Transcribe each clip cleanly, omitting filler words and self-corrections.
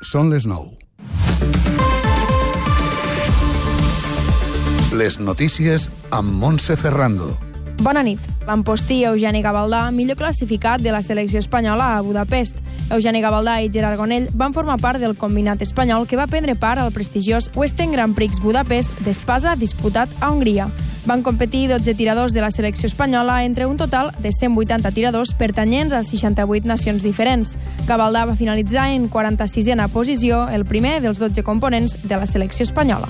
Són les 9. Les notícies amb Montse Ferrando. Bona nit. L'empostí Eugeni Gavaldà, millor classificat de la selecció espanyola a Budapest. Eugeni Gavaldà i Gerard Gonell van formar part del combinat espanyol que va prendre part al prestigiós Western Grand Prix Budapest d'espasa disputat a Hongria. Van competir 12 tiradors de la selecció espanyola entre un total de 180 tiradors pertanyents a 68 nacions diferents. Gavaldà va finalitzar en 46a posició, el primer dels 12 components de la selecció espanyola.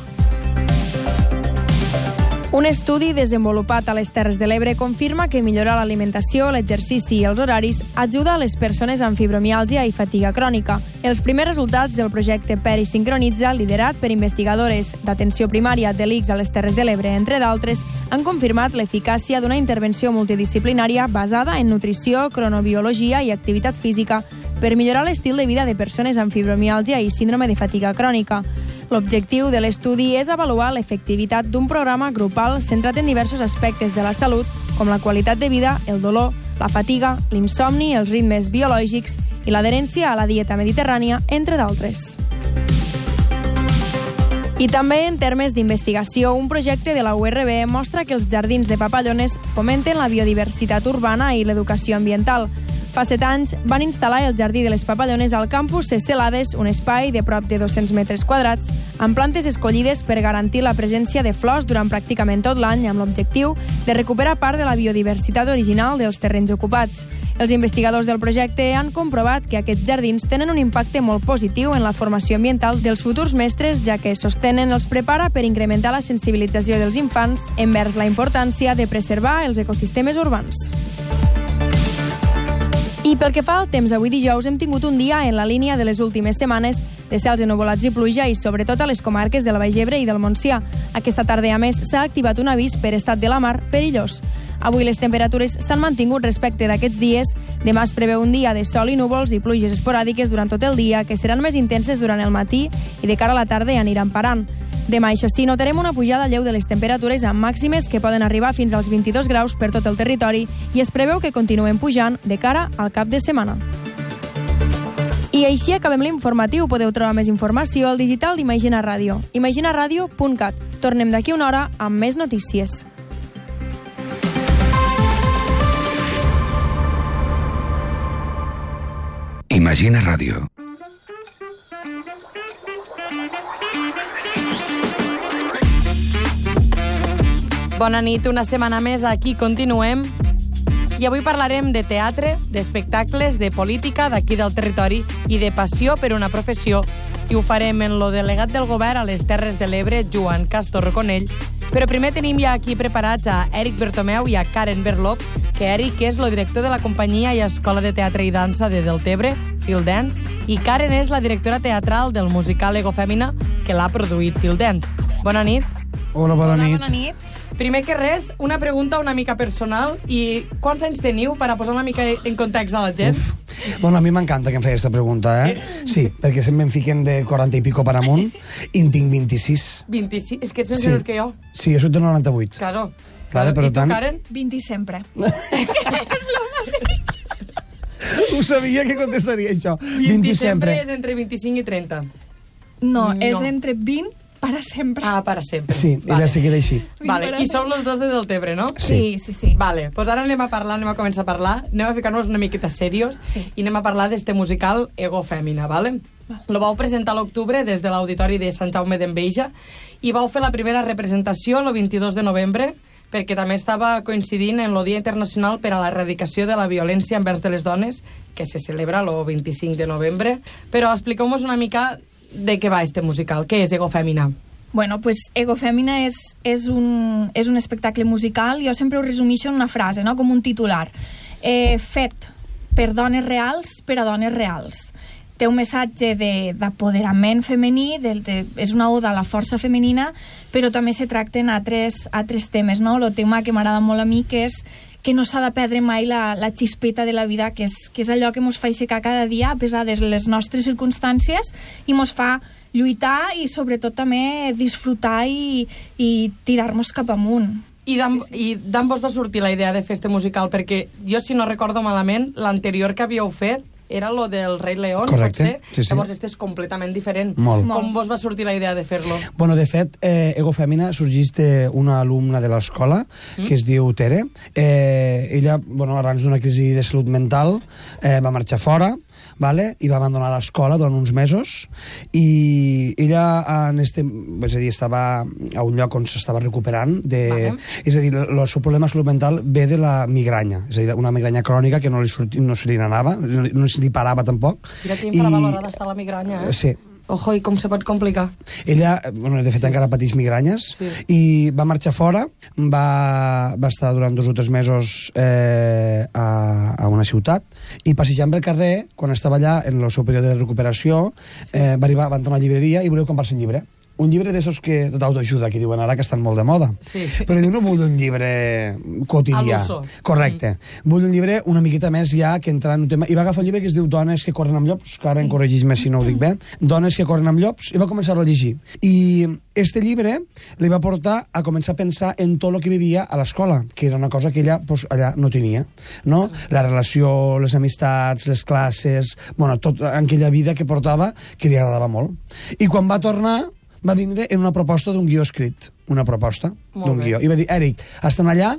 Un estudi desenvolupat a les Terres de l'Ebre confirma que millorar l'alimentació, l'exercici i els horaris ajuda a les persones amb fibromiàlgia i fatiga crònica. Els primers resultats del projecte Perisincronitza, liderat per investigadores d'atenció primària de l'ICS a les Terres de l'Ebre, entre d'altres, han confirmat l'eficàcia d'una intervenció multidisciplinària basada en nutrició, cronobiologia i activitat física per millorar l'estil de vida de persones amb fibromiàlgia i síndrome de fatiga crònica. L'objectiu de l'estudi és avaluar l'efectivitat d'un programa grupal centrat en diversos aspectes de la salut, com la qualitat de vida, el dolor, la fatiga, l'insomni, els ritmes biològics i l'adherència a la dieta mediterrània, entre d'altres. I també en termes d'investigació, un projecte de la URB mostra que els jardins de papallones fomenten la biodiversitat urbana i l'educació ambiental. Fa 7 anys van instal·lar el Jardí de les Papallones al campus Escelades, un espai de prop de 200 metres quadrats, amb plantes escollides per garantir la presència de flors durant pràcticament tot l'any, amb l'objectiu de recuperar part de la biodiversitat original dels terrenys ocupats. Els investigadors del projecte han comprovat que aquests jardins tenen un impacte molt positiu en la formació ambiental dels futurs mestres, ja que sostenen els prepara per incrementar la sensibilització dels infants envers la importància de preservar els ecosistemes urbans. I pel que fa al temps, avui dijous hem tingut un dia en la línia de les últimes setmanes de cels ennuvolats i pluja i sobretot a les comarques del Baix Ebre i del Montsià. Aquesta tarda, a més, s'ha activat un avís per estat de la mar perillós. Avui les temperatures s'han mantingut respecte d'aquests dies. Demà es preveu un dia de sol i núvols i pluges esporàdiques durant tot el dia, que seran més intenses durant el matí i de cara a la tarda aniran parant. Demà, això sí, notarem una pujada lleu de les temperatures amb màximes que poden arribar fins als 22 graus per tot el territori i es preveu que continuen pujant de cara al cap de setmana. I així acabem l'informatiu. Podeu trobar més informació al digital d'Imagina Ràdio, imaginaradio.cat. Tornem d'aquí una hora amb més notícies. Imagina Ràdio. Bona nit, una setmana més, aquí continuem. I avui parlarem de teatre, d'espectacles, de política d'aquí del territori i de passió per una professió. I ho farem en lo delegat del govern a les Terres de l'Ebre, Joan Castor Conell. Però primer tenim ja aquí preparats a Eric Bertomeu i a Karen Berlop, que Eric és el director de la companyia i escola de teatre i dansa de Deltebre, Field Dance, i Karen és la directora teatral del musical Ego Fèmina, que l'ha produït Field Dance. Bona nit. Hola, bona nit. Bona nit. Primer que res, una pregunta una mica personal. I quants anys teniu per a posar una mica en context a la gent? Bueno, a mi m'encanta que em feia aquesta pregunta, eh? Sí, perquè sempre em fiquen de 40 i pico per amunt i en tinc 26. 26? És que ets més menor que jo. Sí, jo soc de 98. Claro. Vale, per I tu, tant... Karen? 20 sempre. Ho sabia que contestaria això. 20 sempre és entre 25 i 30. No, és entre 20 para sempre. Ah, para sempre. Sí, vale. ella sí que d'així. Vale, i sou los dos de Deltebre, no? Sí. Vale, pues ara anem a començar a parlar, anem a ficar-nos una miqueta serios i anem a parlar d'este musical Ego Fèmina, vale? Lo vau presentar a l'octubre des de l'Auditori de Sant Jaume d'Enveja i vau fer la primera representació el 22 de novembre perquè també estava coincidint en el Dia Internacional per a l'Erradicació de la Violència envers de les Dones, que se celebra el 25 de novembre. Però expliqueu-nos una mica de què va este musical. Què és Ego Fèmina? Bueno, pues Ego Fèmina és un espectacle musical. Jo sempre ho resumixo en una frase, no? Com un titular. Fet per dones reals, per a dones reals. Té un missatge d'apoderament femení, és una oda a la força femenina, però també se tracten altres temes, no? El tema que m'agrada molt a mi, que és que no s'ha de perdre mai la xispeta de la vida, que és allò que ens fa aixecar cada dia a pesar de les nostres circumstàncies i ens fa lluitar i sobretot també disfrutar i tirar-nos cap amunt. I d'on vos va sortir la idea de fer este musical? Perquè jo, si no recordo malament, l'anterior que havíeu fet era lo del Rei León, correcte, potser. sí. Llavors, és completament diferent. Molt. Com vos va sortir la idea de fer-lo? Bueno, de fet, Ego Fèmina sorgeix d'una alumna de l'escola que es diu Tere. Ella, bueno, arran d'una crisi de salut mental, va marxar fora, vale? I va abandonar l'escola durant uns mesos, i ella estava a un lloc on s'estava recuperant és a dir, el seu problema de salut mental ve de la migranya, és a dir, una migranya crònica que no se li n'anava, no se li parava tampoc. Mira que infravalorada està la migranya, Sí. Ojo, i com se pot complicar? Ella, bueno, de fet, encara pateix migranyes, i va marxar fora, va estar durant 2 o 3 mesos a una ciutat, i passejant pel carrer, quan estava allà en el seu període de recuperació, va entrar a una llibreria i volia comprar-se un llibre. Un llibre d'esos que d'autoajuda, que diuen ara que estan molt de moda. Sí. Però diu, no vull un llibre quotidià. A l'uso. Correcte. Vull un llibre una miqueta més ja que entra en un tema. I va agafar un llibre que es diu Dones que corren amb llops, que ara em corregís més si no ho dic bé. Dones que corren amb llops, i va començar a llegir. I este llibre li va portar a començar a pensar en tot el que vivia a l'escola, que era una cosa que ella allà no tenia. No? La relació, les amistats, les classes, bueno, tot aquella vida que portava que li agradava molt. I quan va tornar, va vindre en una proposta d'un guió escrit. Una proposta d'un guió. I va dir, Eric, estan allà...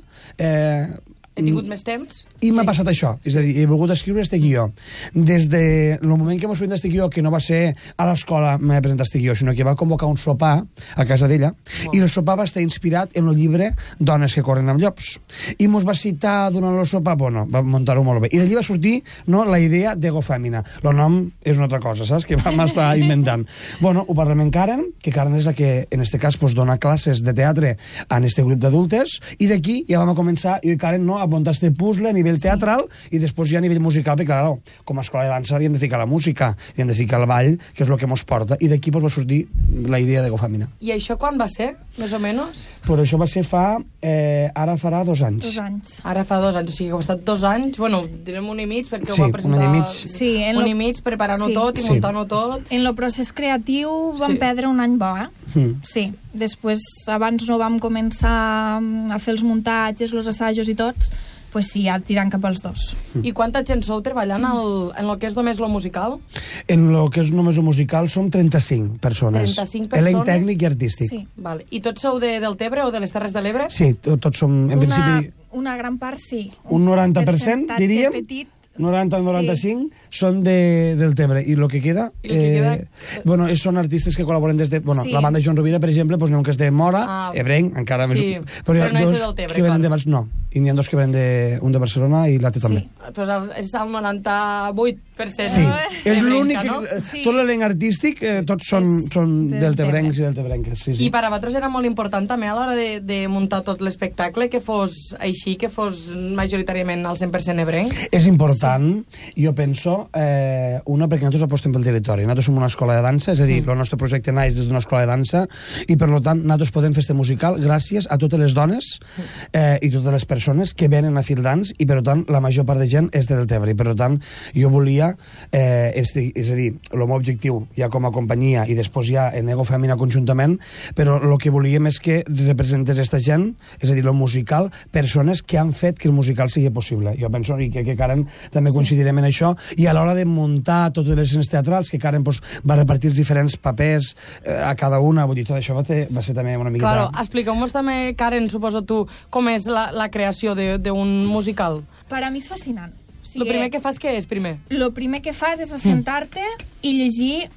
He tingut més temps? I m'ha passat això. És a dir, he volgut escriure este guió. Des del moment que m'ho presentat este guió, que no va ser a l'escola m'he presentat este guió, sinó que va convocar un sopar a casa d'ella, i el sopar va estar inspirat en el llibre Dones que corren amb llops. I mos va citar durant el sopar, bueno, va muntar-ho molt bé. I d'allí va sortir, no, la idea d'Ego Fèmina. El nom és una altra cosa, saps? Que vam estar inventant. Bueno, ho parlem amb Karen, que Karen és la que, en este cas, pues, dona classes de teatre en este grup d'adultes, i d'aquí ja vam començar, i Karen, no, a muntar este puzzle a nivell teatral, i després ja a nivell musical, perquè, clar, com a escola de dansa hi hem de ficar la música, hi hem de ficar el ball, que és el que ens porta, i d'aquí pues, va sortir la idea d'Ego Fèmina. I això quan va ser, més o menys? Però això va ser ara farà 2 anys. 2 anys. Ara fa 2 anys, o sigui que ha estat 2 anys, bueno, direm 1 i mig, perquè sí, ho va presentar... 1 any i mig. Sí, un i mig, preparant-ho tot i muntant-ho tot. En el procés creatiu vam perdre 1 any bo, Sí. Després, abans no vam començar a fer els muntatges, els assajos i tots, pues sí, ja tirant cap als 2. I quanta gent sou treballant en el que és només lo musical? En el que és només el musical som 35 persones. 35 persones? Elenc tècnic i artístic. Sí. Vale. I tots sou de Deltebre o de les Terres de l'Ebre? Sí, tots som, en principi... Una gran part, sí. Un 90%, diríem. Petit. 90 o 95 són del Tebre, i el que queda, bueno, són artistes que col·laboren des de... Bueno, la banda Joan Rovira, per exemple, pues, n'hi ha un que és de Mora, ebrenc, encara més... Però no és de Deltebre, que venen de... No, i n'hi ha 2 que venen un de Barcelona i l'altre també. Pues és el 98%. Sí, és l'únic... No? Tot l'elenc artístic, tots són deltebrencs i deltebrenques. Sí. I per a vosaltres era molt important també a l'hora de muntar tot l'espectacle que fos així, que fos majoritàriament al 100% ebrenc? És important. Jo penso, perquè nosaltres apostem pel territori. Nosaltres som una escola de dansa, és a dir, el nostre projecte naix des d'una escola de dansa, i per tant nosaltres podem fer este musical gràcies a totes les dones i totes les persones que venen a Field Dance, i per tant la major part de gent és de Deltebre, i per tant jo volia, és a dir, el meu objectiu ja com a companyia i després ja en Ego Fèmina conjuntament, però el que volíem és que representés aquesta gent, és a dir, el musical, persones que han fet que el musical sigui possible. Jo penso que Karen també coincidirem en això, i a l'hora de muntar totes les escenes teatrals, que Karen va repartir els diferents papers a cada una, vull dir, tot això va ser també una miqueta... Claro, expliqueu-nos també, Karen, suposo tu, com és la creació d'un musical. Per a mi és fascinant. El primer que fas què és, primer? El primer que fas és assentar-te i llegir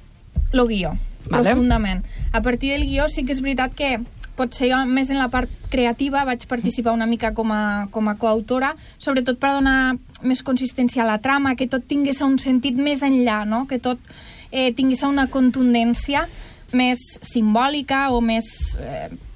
el guió, profundament. A partir del guió sí que és veritat que potser jo més en la part creativa vaig participar una mica com a coautora, sobretot per donar més consistència a la trama, que tot tingués un sentit més enllà, no? Que tot tingués una contundència més simbòlica o més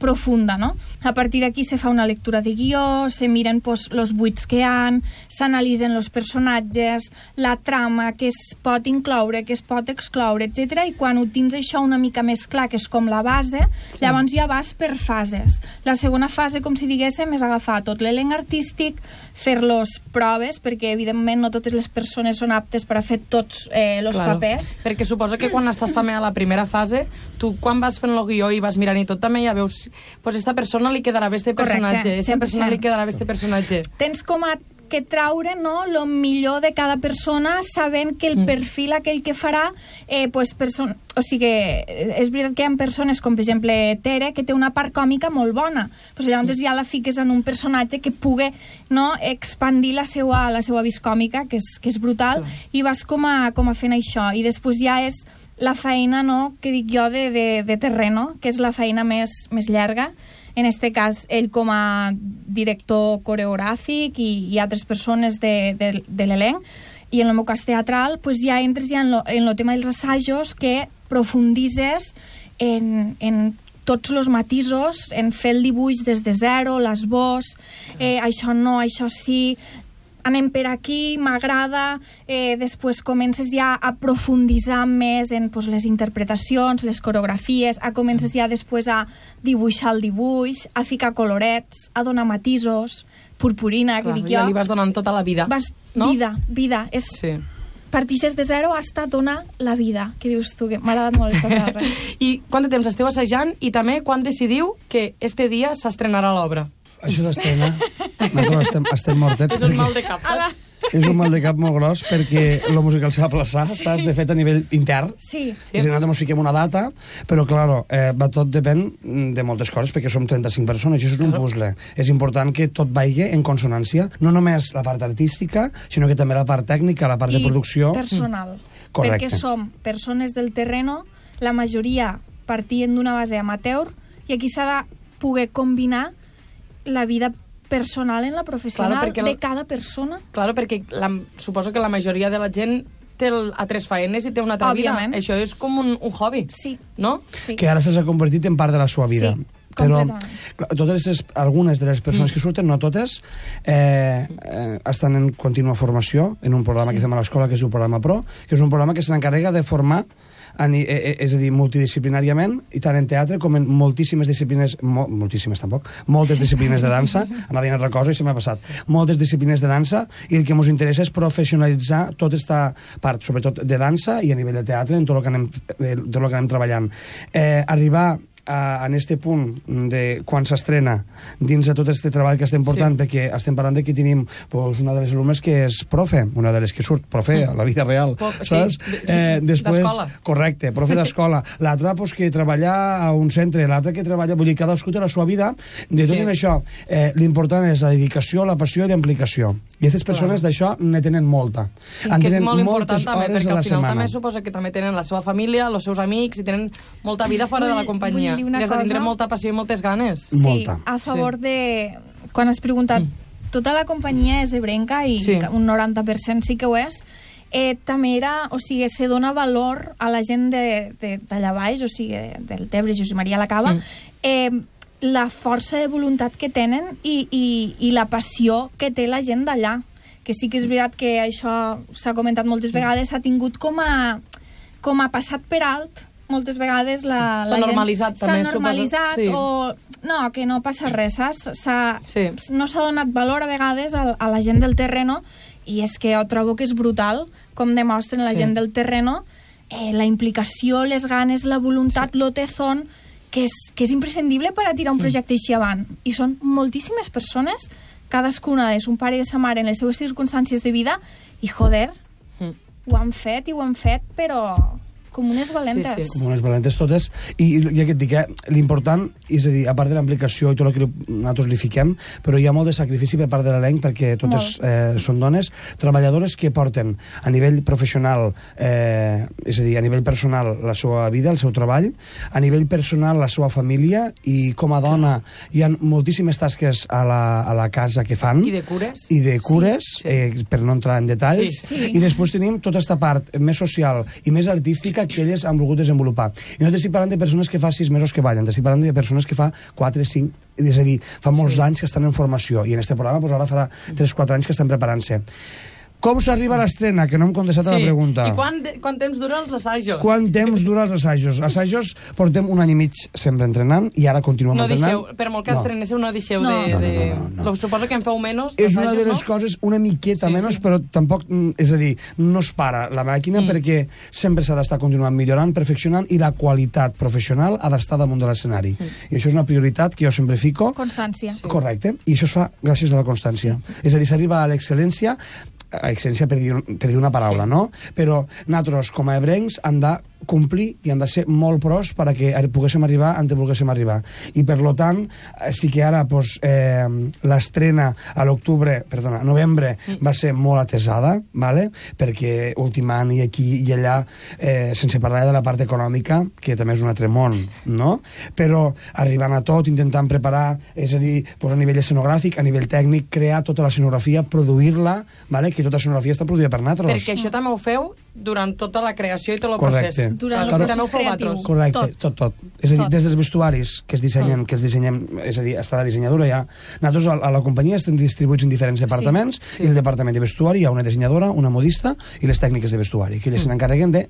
profunda, no? A partir d'aquí se fa una lectura de guió, se miren els buits que hi ha, s'analitzen els personatges, la trama, què es pot incloure, què es pot excloure, etc. I quan ho tens això una mica més clar, que és com la base, llavors ja vas per fases. La segona fase, com si diguéssim, és agafar tot l'elenc artístic, fer-los proves, perquè evidentment no totes les persones són aptes per a fer tots els papers. Perquè suposo que quan estàs també a la primera fase, tu quan vas fent el guió i vas mirant i tot, també ja veus, pues esta persona li quedarà bé este personatge, esta persona li quedarà bé este personatge. Tens com a que traure, no, lo millor de cada persona, sabent que el perfil aquell que farà, o sigui, és veritat que hi ha persones com, per exemple, Tere, que té una part còmica molt bona, pues llavors ja la fiques en un personatge que pugui, no, expandir la seva vis còmica, que és brutal, i vas com a fent això, i després ja és la feina, no, que dic jo, de terreno, que és la feina més llarga. En este cas, ell com a director coreogràfic i altres persones de l'elenc, i en el meu cas teatral, pues ja entres ja en el tema dels assajos, que profunditzes en tots els matisos, en fer el dibuix des de zero, l'esbós, això no, això sí, anem per aquí, m'agrada, després comences ja a profunditzar més en les interpretacions, les coreografies, comences ja després a dibuixar el dibuix, a ficar colorets, a donar matisos, purpurina, que dic jo. Ja li vas donant tota la vida, no? Vida. Sí. Partixes de zero hasta donar la vida, que dius tu, que m'ha agradat molt aquesta frase. I quant de temps esteu assajant i també quan decidiu que este dia s'estrenarà l'obra? Això d'estrena, nosaltres estem mortets. És un mal de cap. És un mal de cap molt gros perquè el musical s'ha de plaçar, saps? De fet, a nivell intern. Sí. És a dir, nosaltres ens fiquem una data, però, clar, tot depèn de moltes coses, perquè som 35 persones, i això és un puzzle. És important que tot vagi en consonància, no només la part artística, sinó que també la part tècnica, la part de producció. I personal. Correcte. Perquè som persones del terreno, la majoria partien d'una base amateur, i aquí s'ha de poder combinar la vida personal en la professional de cada persona. Claro, perquè suposo que la majoria de la gent té altres faenes i té una altra vida. Això és com un hobby, no? Sí. Que ara s'ha convertit en part de la seva vida. Sí, però completament. Algunes de les persones que surten, no totes, estan en contínua formació en un programa que fem a l'escola, que es diu Programa Pro, que és un programa que se n'encarrega de formar, és a dir, multidisciplinàriament, i tant en teatre com en moltíssimes disciplines, moltes disciplines de dansa, anava dient altra cosa i se m'ha passat, moltes disciplines de dansa, i el que ens interessa és professionalitzar tota aquesta part, sobretot de dansa i a nivell de teatre, en tot el que anem treballant. Arribar en este punt de quan s'estrena dins de tot este treball que estem portant, perquè estem parlant de que tenim una de les alumnes que és profe, una de les que surt profe a la vida real, saps? D'escola. Correcte, profe d'escola. L'altra que treballa a un centre, l'altra que treballa, vull dir, cadascú té la seva vida. De tot en això, l'important és la dedicació, la passió i la implicació. I aquestes persones d'això ne tenen molta. Sí, que és molt important també, perquè al final també suposa que també tenen la seva família, els seus amics, i tenen molta vida fora de la companyia. I has de tindre molta passió i moltes ganes. Sí, a favor de... Quan has preguntat, tota la companyia és de Brenca i un 90% sí que ho és, també era, o sigui, se dona valor a la gent d'allà baix, o sigui, del Tebre, Josep Maria la Cava, la força de voluntat que tenen i la passió que té la gent d'allà. Que sí que és veritat que això s'ha comentat moltes vegades, s'ha tingut com a passat per alt moltes vegades la gent... S'ha normalitzat també, s'ha normalitzat o... No, que no passa res, saps? No s'ha donat valor a vegades a la gent del terreno, i és que jo trobo que és brutal com demostren la gent del terreno la implicació, les ganes, la voluntat, lo tesón, que és imprescindible per a tirar un projecte així avant. I són moltíssimes persones, cadascuna de son pare i de sa mare en les seues circumstàncies de vida, i joder, ho han fet, però... com unes valentes. Sí. Com unes valentes totes. I ja que et dic, l'important, és a dir, a part de la implicació i tot el que nosaltres li fiquem, però hi ha molt de sacrifici per part de l'elenc, perquè totes són dones, treballadores que porten a nivell professional, és a dir, a nivell personal, la seva vida, el seu treball, a nivell personal, la seva família, i com a dona hi ha moltíssimes tasques a la casa que fan. I de cures. Per no entrar en detalls. I després tenim tota aquesta part més social i més artística que elles han volgut desenvolupar. I no t'estic parlant de persones que fa 6 mesos que ballen, t'estic parlant de persones que fa 4, 5, és a dir, fa molts anys que estan en formació, i en aquest programa ara farà 3-4 anys que estan preparant-se. Com s'arriba a l'estrena? Que no hem contestat a la pregunta. I quant temps duren els assajos? Quant temps dura els assajos? Assajos portem 1 any i mig sempre entrenant i ara continuem entrenant. Per molt que estrenéssiu, no deixeu de... Suposo que en feu menys d'assajos, no? És una de les coses, una miqueta menys, però tampoc, és a dir, no es para la màquina perquè sempre s'ha d'estar continuant millorant, perfeccionant, i la qualitat professional ha d'estar damunt de l'escenari. I això és una prioritat que jo sempre fico. Constància. Correcte. I això es fa gràcies a la constància. És a dir, s'arriba a l'excel·lència per dir una paraula, no? Però nosaltres, com a ebrencs, hem de complir i han de ser molt pros perquè poguéssim arribar on volguéssim arribar. I per lo tant, sí que ara l'estrena a novembre va ser molt atesada, ¿vale? Perquè ultimant i aquí i allà, sense parlar de la part econòmica, que també és un altre món, no? Però arribant a tot, intentant preparar, és a dir, a nivell escenogràfic, a nivell tècnic, crear tota l'escenografia, produir-la, ¿vale? Que tota l'escenografia està produïda per nosaltres. Perquè això també ho feu durant tota la creació i tot el procés. Durant el procés creatiu. Correcte, tot. És a dir, des dels vestuaris que es dissenyen, és a dir, està la dissenyadora ja. Nosaltres a la companyia estem distribuïts en diferents departaments i el departament de vestuari hi ha una dissenyadora, una modista i les tècniques de vestuari, que elles se n'encarreguen de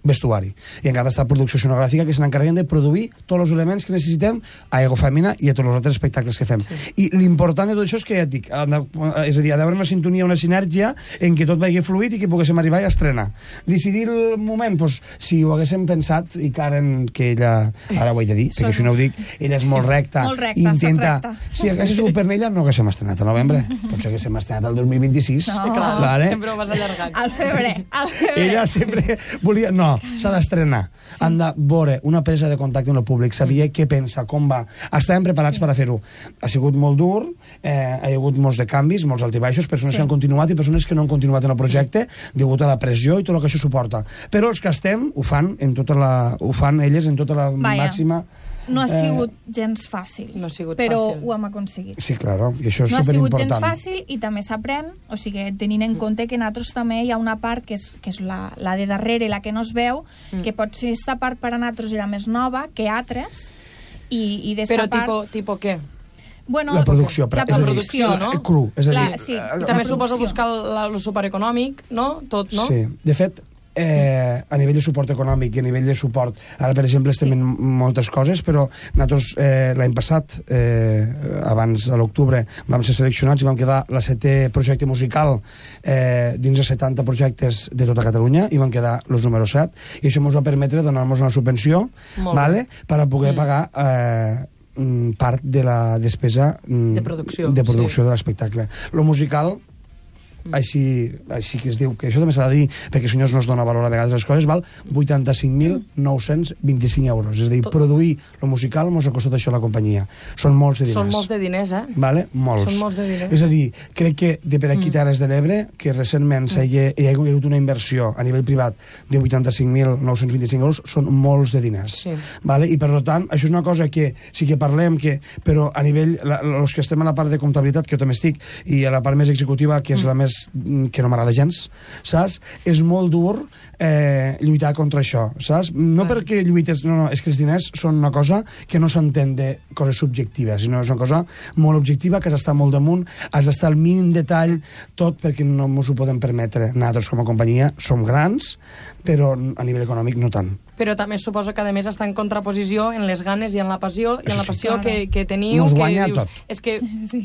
vestuari. I encara està producció escenogràfica que se n'encarreguen de produir tots els elements que necessitem a Ego Fèmina i a tots els altres espectacles que fem. I l'important de tot això és que ja et dic, és a dir, ha d'haver una sintonia, una sinergia en què tot vagi fluid i que poguéssim arribar a estrenar. Decidir el moment, doncs, si ho haguéssim pensat, i Karen, que ella, ara ho he de dir, perquè si no ho dic, ella és molt recta, i intenta... Si hagués sigut per ella, no haguéssim estrenat a novembre. Potser haguéssim estrenat el 2026. Sempre ho vas allargant. Al febrer. Ella sempre volia... No, s'ha d'estrenar. Han de veure una presa de contacte amb el públic, saber què pensa, com va. Estàvem preparats per a fer-ho. Ha sigut molt dur, ha hagut molts de canvis, molts altibaixos, persones que han continuat i persones que no han continuat en el projecte degut a la pressió i tot el que això suporta. Però els que estem ho fan elles en tota la màxima... No ha sigut gens fàcil, però ho hem aconseguit. Sí, claro, i això és superimportant. No ha sigut gens fàcil i també s'aprèn, o sigui, tenint en compte que nosaltres també hi ha una part que és la de darrere, la que no es veu, que potser aquesta part per a nosaltres era més nova que altres, i d'esta part... Però tipus què? Bueno, la producció, no? Cru, és a dir... I també suposo buscar el supereconòmic, no? Tot, no? Sí, de fet, a nivell de suport econòmic i a nivell de suport, ara per exemple estem en moltes coses, però nosaltres l'any passat, abans a l'octubre, vam ser seleccionats i vam quedar la 7è projecte musical dins de 70 projectes de tota Catalunya i vam quedar els números 7 i això ens va permetre donar-nos una subvenció, vale, per a poder pagar part de la despesa de producció de l'espectacle. Lo musical, així que es diu, que això també s'ha de dir perquè senyors no es dona valor a vegades les coses, val 85.925 euros, és a dir, produir el musical ens ha costat això a la companyia. Són molts de diners. Són molts de diners, Vale? Molts. Són molts de diners. És a dir, crec que de per aquí Terres de l'Ebre, que recentment hi ha hagut una inversió a nivell privat de 85.925 euros, són molts de diners. Vale? I per tant, això és una cosa que sí que parlem, però a nivell, els que estem a la part de comptabilitat, que jo també estic, i a la part més executiva, que és la més que no m'agrada gens, saps? És molt dur lluitar contra això, saps? No perquè lluites, no, és que els diners són una cosa que no s'entén de coses subjectives, sinó és una cosa molt objectiva, que has d'estar molt damunt, has d'estar al mínim detall, tot perquè no ens ho podem permetre. Nosaltres com a companyia som grans, però a nivell econòmic no tant. Però també suposo que a més està en contraposició en les ganes i en la passió, que teniu. Nos guanya tot. És que,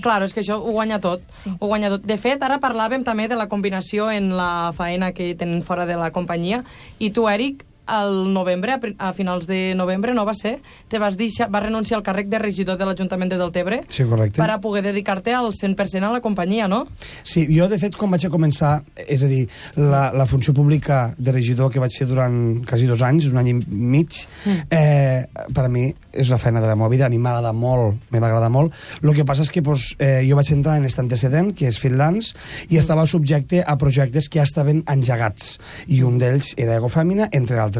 clar, és que això ho guanya tot. Ho guanya tot. De fet, ara parlàvem també de la combinació en la faena que tenen fora de la companyia, i tu, Eric, al novembre, a finals de novembre, no va ser? Vas renunciar al càrrec de regidor de l'Ajuntament de Deltebre, sí, correcte, per a poder dedicar-te al 100% a la companyia, no? Sí, jo de fet quan vaig a començar, és a dir, la funció pública de regidor que vaig fer durant quasi 2 anys, 1 any i mig, per a mi és la feina de la meva vida, a mi m'agrada molt, me va agradar molt. El que passa és que jo vaig entrar en aquest antecedent, que és freelance, i estava subjecte a projectes que ja estaven engegats, i un d'ells era Ego Fèmina, entre altres.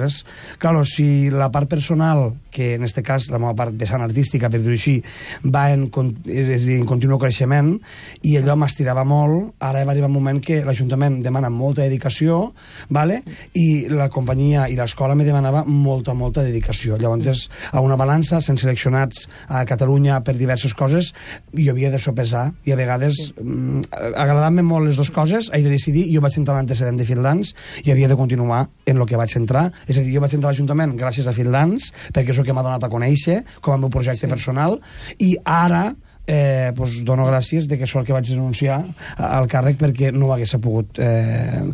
Claro, si la part personal que en aquest cas la meva part vessant artística, per dir-ho així, va en continu creixement, i allò m'estirava molt. Ara va arribar un moment que l'Ajuntament demana molta dedicació, vale? I la companyia i l'escola me demanava molta dedicació. Llavors, a una balança, sent seleccionats a Catalunya per diverses coses, jo havia de sopesar, i a vegades agradant-me molt les dues coses, he de decidir. Jo vaig entrar l'antecedent de Fil Dance i havia de continuar en el que vaig entrar. És a dir, jo vaig entrar a l'Ajuntament gràcies a Fil Dance, perquè és el que m'ha donat a conèixer com a meu projecte personal, i ara dono gràcies de que sóc el que vaig denunciar al càrrec, perquè no ho hagués pogut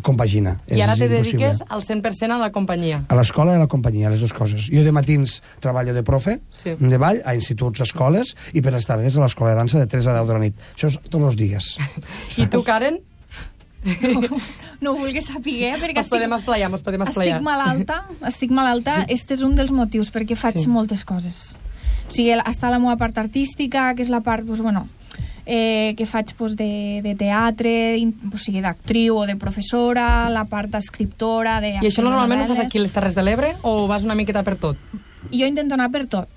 compaginar. I ara te dediques al 100% a la companyia. A l'escola i a la companyia, les dues coses. Jo de matins treballo de profe, de ball, a instituts, escoles, i per les tardes a l'escola de dansa de 3 a 10 de la nit. Això és tots els dies. I tu, Karen? No ho vulguis saber, perquè Ens podem esplayar. Estic malalta. Este és un dels motius, perquè faig moltes coses. O sigui, està la meva part artística, que és la part, que faig de teatre, o sigui, d'actriu o de professora, la part d'escriptora... I això normalment ho fas aquí a les Terres de l'Ebre o vas una miqueta per tot? Jo intento anar per tot,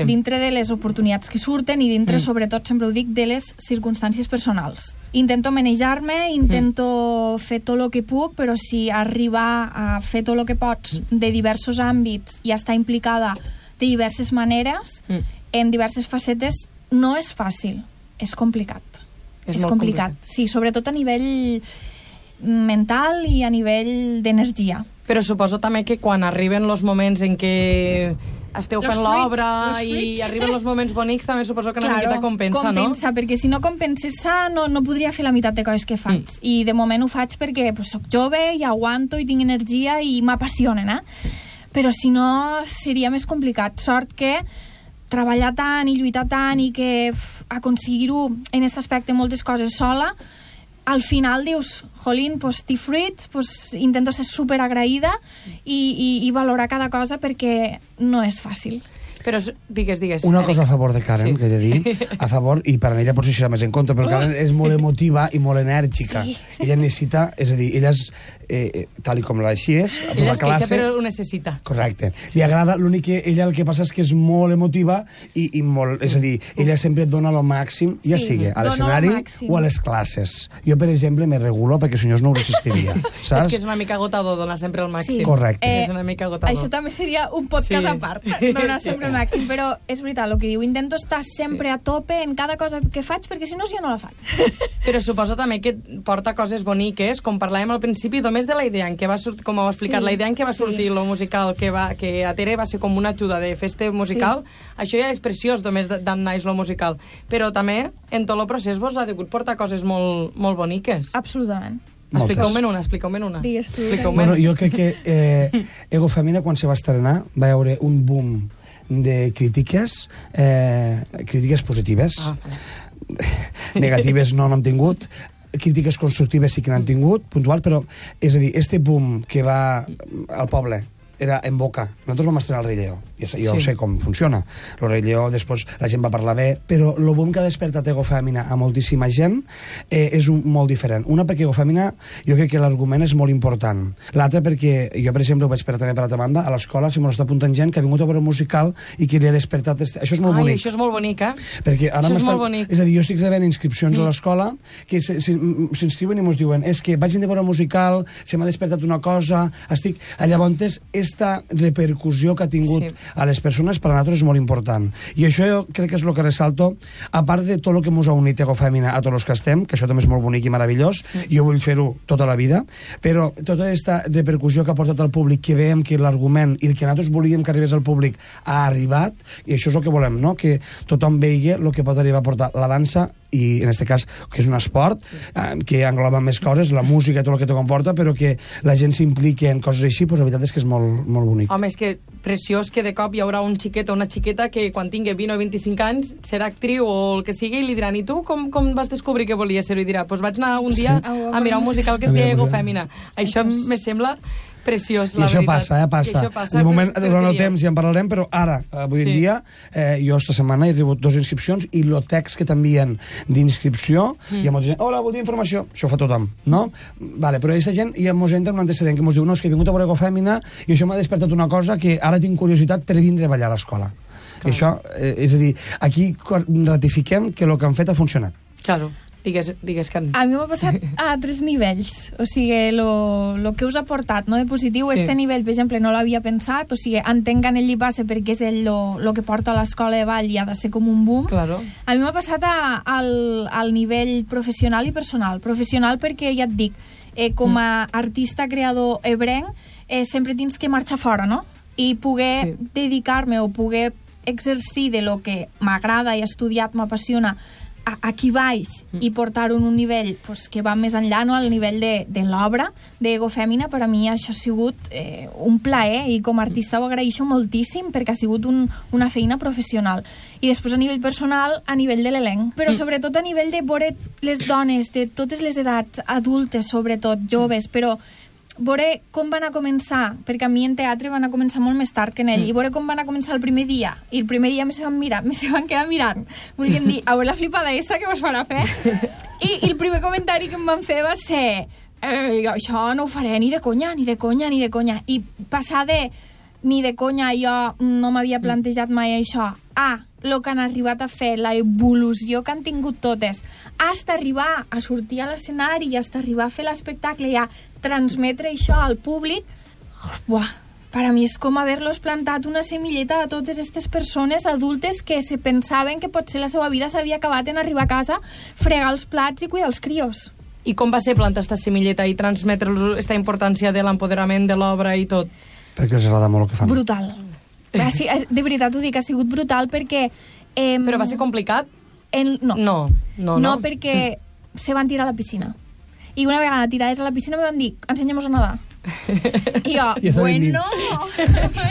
dintre de les oportunitats que surten i dintre, sobretot, sempre ho dic, de les circumstàncies personals. Intento manejar-me, intento fer tot el que puc, però si arribar a fer tot el que pots de diversos àmbits i estar implicada de diverses maneres, en diverses facetes, no és fàcil, és complicat. És complicat, sí, sobretot a nivell mental i a nivell d'energia. Però suposo també que quan arriben els moments en què esteu fent l'obra i arriben els moments bonics, també suposo que una miqueta compensa, no? Compensa, perquè si no compensessa no podria fer la meitat de coses que faig. I de moment ho faig perquè soc jove i aguanto i tinc energia i m'apassionen, Però si no, seria més complicat. Sort que treballar tant i lluitar tant i que aconseguir-ho en aquest aspecte moltes coses sola, al final dius, jolín, t'hi fruits, intento ser superagraïda i valorar cada cosa, perquè no és fàcil. Però digues. Una cosa a favor de Karen, que he de dir, a favor, i per a ella potser serà més en compte, però Karen és molt emotiva i molt enèrgica. Ella necessita, és a dir, ella és, tal com així és, ella es queixa, però ho necessita. Correcte. Li agrada, l'únic que ella el que passa és que és molt emotiva i molt, és a dir, ella sempre et dona el màxim, ja sigui a l'escenari o a les classes. Jo, per exemple, me regulo perquè si no ho resistiria, saps? És que és una mica agotador donar sempre el màxim. Correcte. És una mica agotador. Això també seria un podcast a part, donar sempre el màxim, però és veritat el que diu, intento estar sempre a tope en cada cosa que faig, perquè si no jo no la faig. Però suposo també que porta coses boniques, com parlàvem al principi, només de la idea en què va sortir, com heu explicat, la idea en què va sortir lo musical, que a Tere va ser com una ajuda de festa musical, això ja és preciós, només d'en naix lo musical. Però també, en tot el procés, vos ha degut portar coses molt boniques. Absolutament. Expliqueu-me'n una. Digues tu. Bueno, jo crec que Ego Femina, quan se va estrenar, va haver un boom de crítiques positives. Negatives no n'hem tingut, crítiques constructives sí que n'han tingut, puntual, però, és a dir, este boom que va al poble era en boca. Nosaltres vam estrenar el Rei Lleó. Jo sé com funciona. El Rei Lleó, després la gent va parlar bé, però el boom que ha despertat Ego Femina a moltíssima gent és molt diferent. Una, perquè Ego Femina, jo crec que l'argument és molt important. L'altra, perquè jo, per exemple, ho vaig esperar també per altra banda, a l'escola se m'ho està apuntant gent que ha vingut a veure un musical i que li ha despertat... Això és molt bonic. Això és molt bonic, Perquè ara això és molt bonic. És a dir, jo estic rebent inscripcions a l'escola que s'inscriuen i ens diuen és que vaig venir a veure un musical, se m'ha despertat una cosa, estic... Llavors, esta repercussió que ha tingut a les persones per a nosaltres és molt important. I això jo crec que és el que ressalto, a part de tot el que ens ha unit Ego Femina a tots els que estem, que això també és molt bonic i meravellós, jo vull fer-ho tota la vida, però tota aquesta repercussió que ha portat al públic, que veiem que l'argument i el que nosaltres volíem que arribés al públic ha arribat, i això és el que volem, no? Que tothom vegi el que pot arribar a portar la dansa, i en aquest cas, que és un esport que engloba més coses, la música i tot el que te comporta, però que la gent s'impliqui en coses així, doncs la veritat és que és molt, molt bonic. Home, és que preciós que de cop hi haurà un xiquet o una xiqueta que quan tingui 20 o 25 anys serà actriu o el que sigui i li diran, i tu com vas descobrir que volies ser-ho? I dirà, doncs vaig anar un dia a mirar un musical que es deia Ego Femina. Això me sembla Preciós, I la això veritat. passa. I això passa De moment, per durant el dieu. temps ja en parlarem, però ara, avui en dia, jo esta setmana he rebut 2 inscripcions i el text que t'envien d'inscripció, hi ha molta gent, hola, voldria informació, això ho fa tothom, no? Vale, però aquesta gent, hi ha molta gent amb un antecedent que ens diu, no, és que he vingut a veure Ecofèmina i això m'ha despertat una cosa que ara tinc curiositat per vindre a ballar a l'escola. Això, és a dir, aquí ratifiquem que el que han fet ha funcionat. Claro. Digues, Carme. A mi m'ha passat a 3 nivells. O sigui, lo que us ha portat, no, de positiu, este nivell, per exemple, no l'havia pensat. O sigui, entenc que en ell li passa perquè és ell lo que porta a l'escola de ball i ha de ser com un boom. Claro. A mi m'ha passat al nivell professional i personal. Professional perquè, ja et dic, com a artista creador ebrenc, sempre tens que marxar fora, no? I poder dedicar-me o poder exercir de lo que m'agrada i he estudiat, m'apassiona, aquí baix i portar-ho en un nivell pues, que va més enllà, no? Al nivell de l'obra d'Ecofèmina. Per a mi això ha sigut un plaer i com a artista ho agraeixo moltíssim perquè ha sigut una feina professional. I després a nivell personal, a nivell de l'elenc, però sobretot a nivell de veure les dones de totes les edats, adultes sobretot, joves, però veure com van a començar, perquè a mi en teatre van a començar molt més tard que en ell, i veure com van a començar el primer dia, i el primer dia me se van quedar mirant, volien dir, a veure la flipada esa que vos farà fer, i el primer comentari que em van fer va ser això no ho faré ni de conya, i passar de ni de conya, jo no m'havia plantejat mai això, el que han arribat a fer, la evolució que han tingut totes, hasta arribar a sortir a l'escenari i hasta arribar a fer l'espectacle i a transmetre això al públic, per a mi és com haver-los plantat una semilleta a totes aquestes persones adultes que se pensaven que potser la seva vida s'havia acabat en arribar a casa, fregar els plats i cuidar els crios. I com va ser plantar aquesta semilleta i transmetre-los aquesta importància de l'empoderament de l'obra i tot? Perquè els agrada molt el que fan. Brutal. De veritat ho dic, ha sigut brutal perquè... Però va ser complicat? No, perquè se van tirar a la piscina. I una vegada tirades a la piscina me van dir, ensenyem-nos a nedar. I jo, bueno...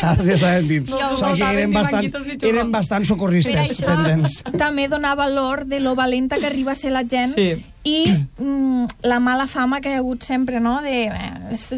Ja estaven dins. Eren bastant socorristes pendents. Per això també donar valor de lo valenta que arriba a ser la gent i la mala fama que hi ha hagut sempre, no? De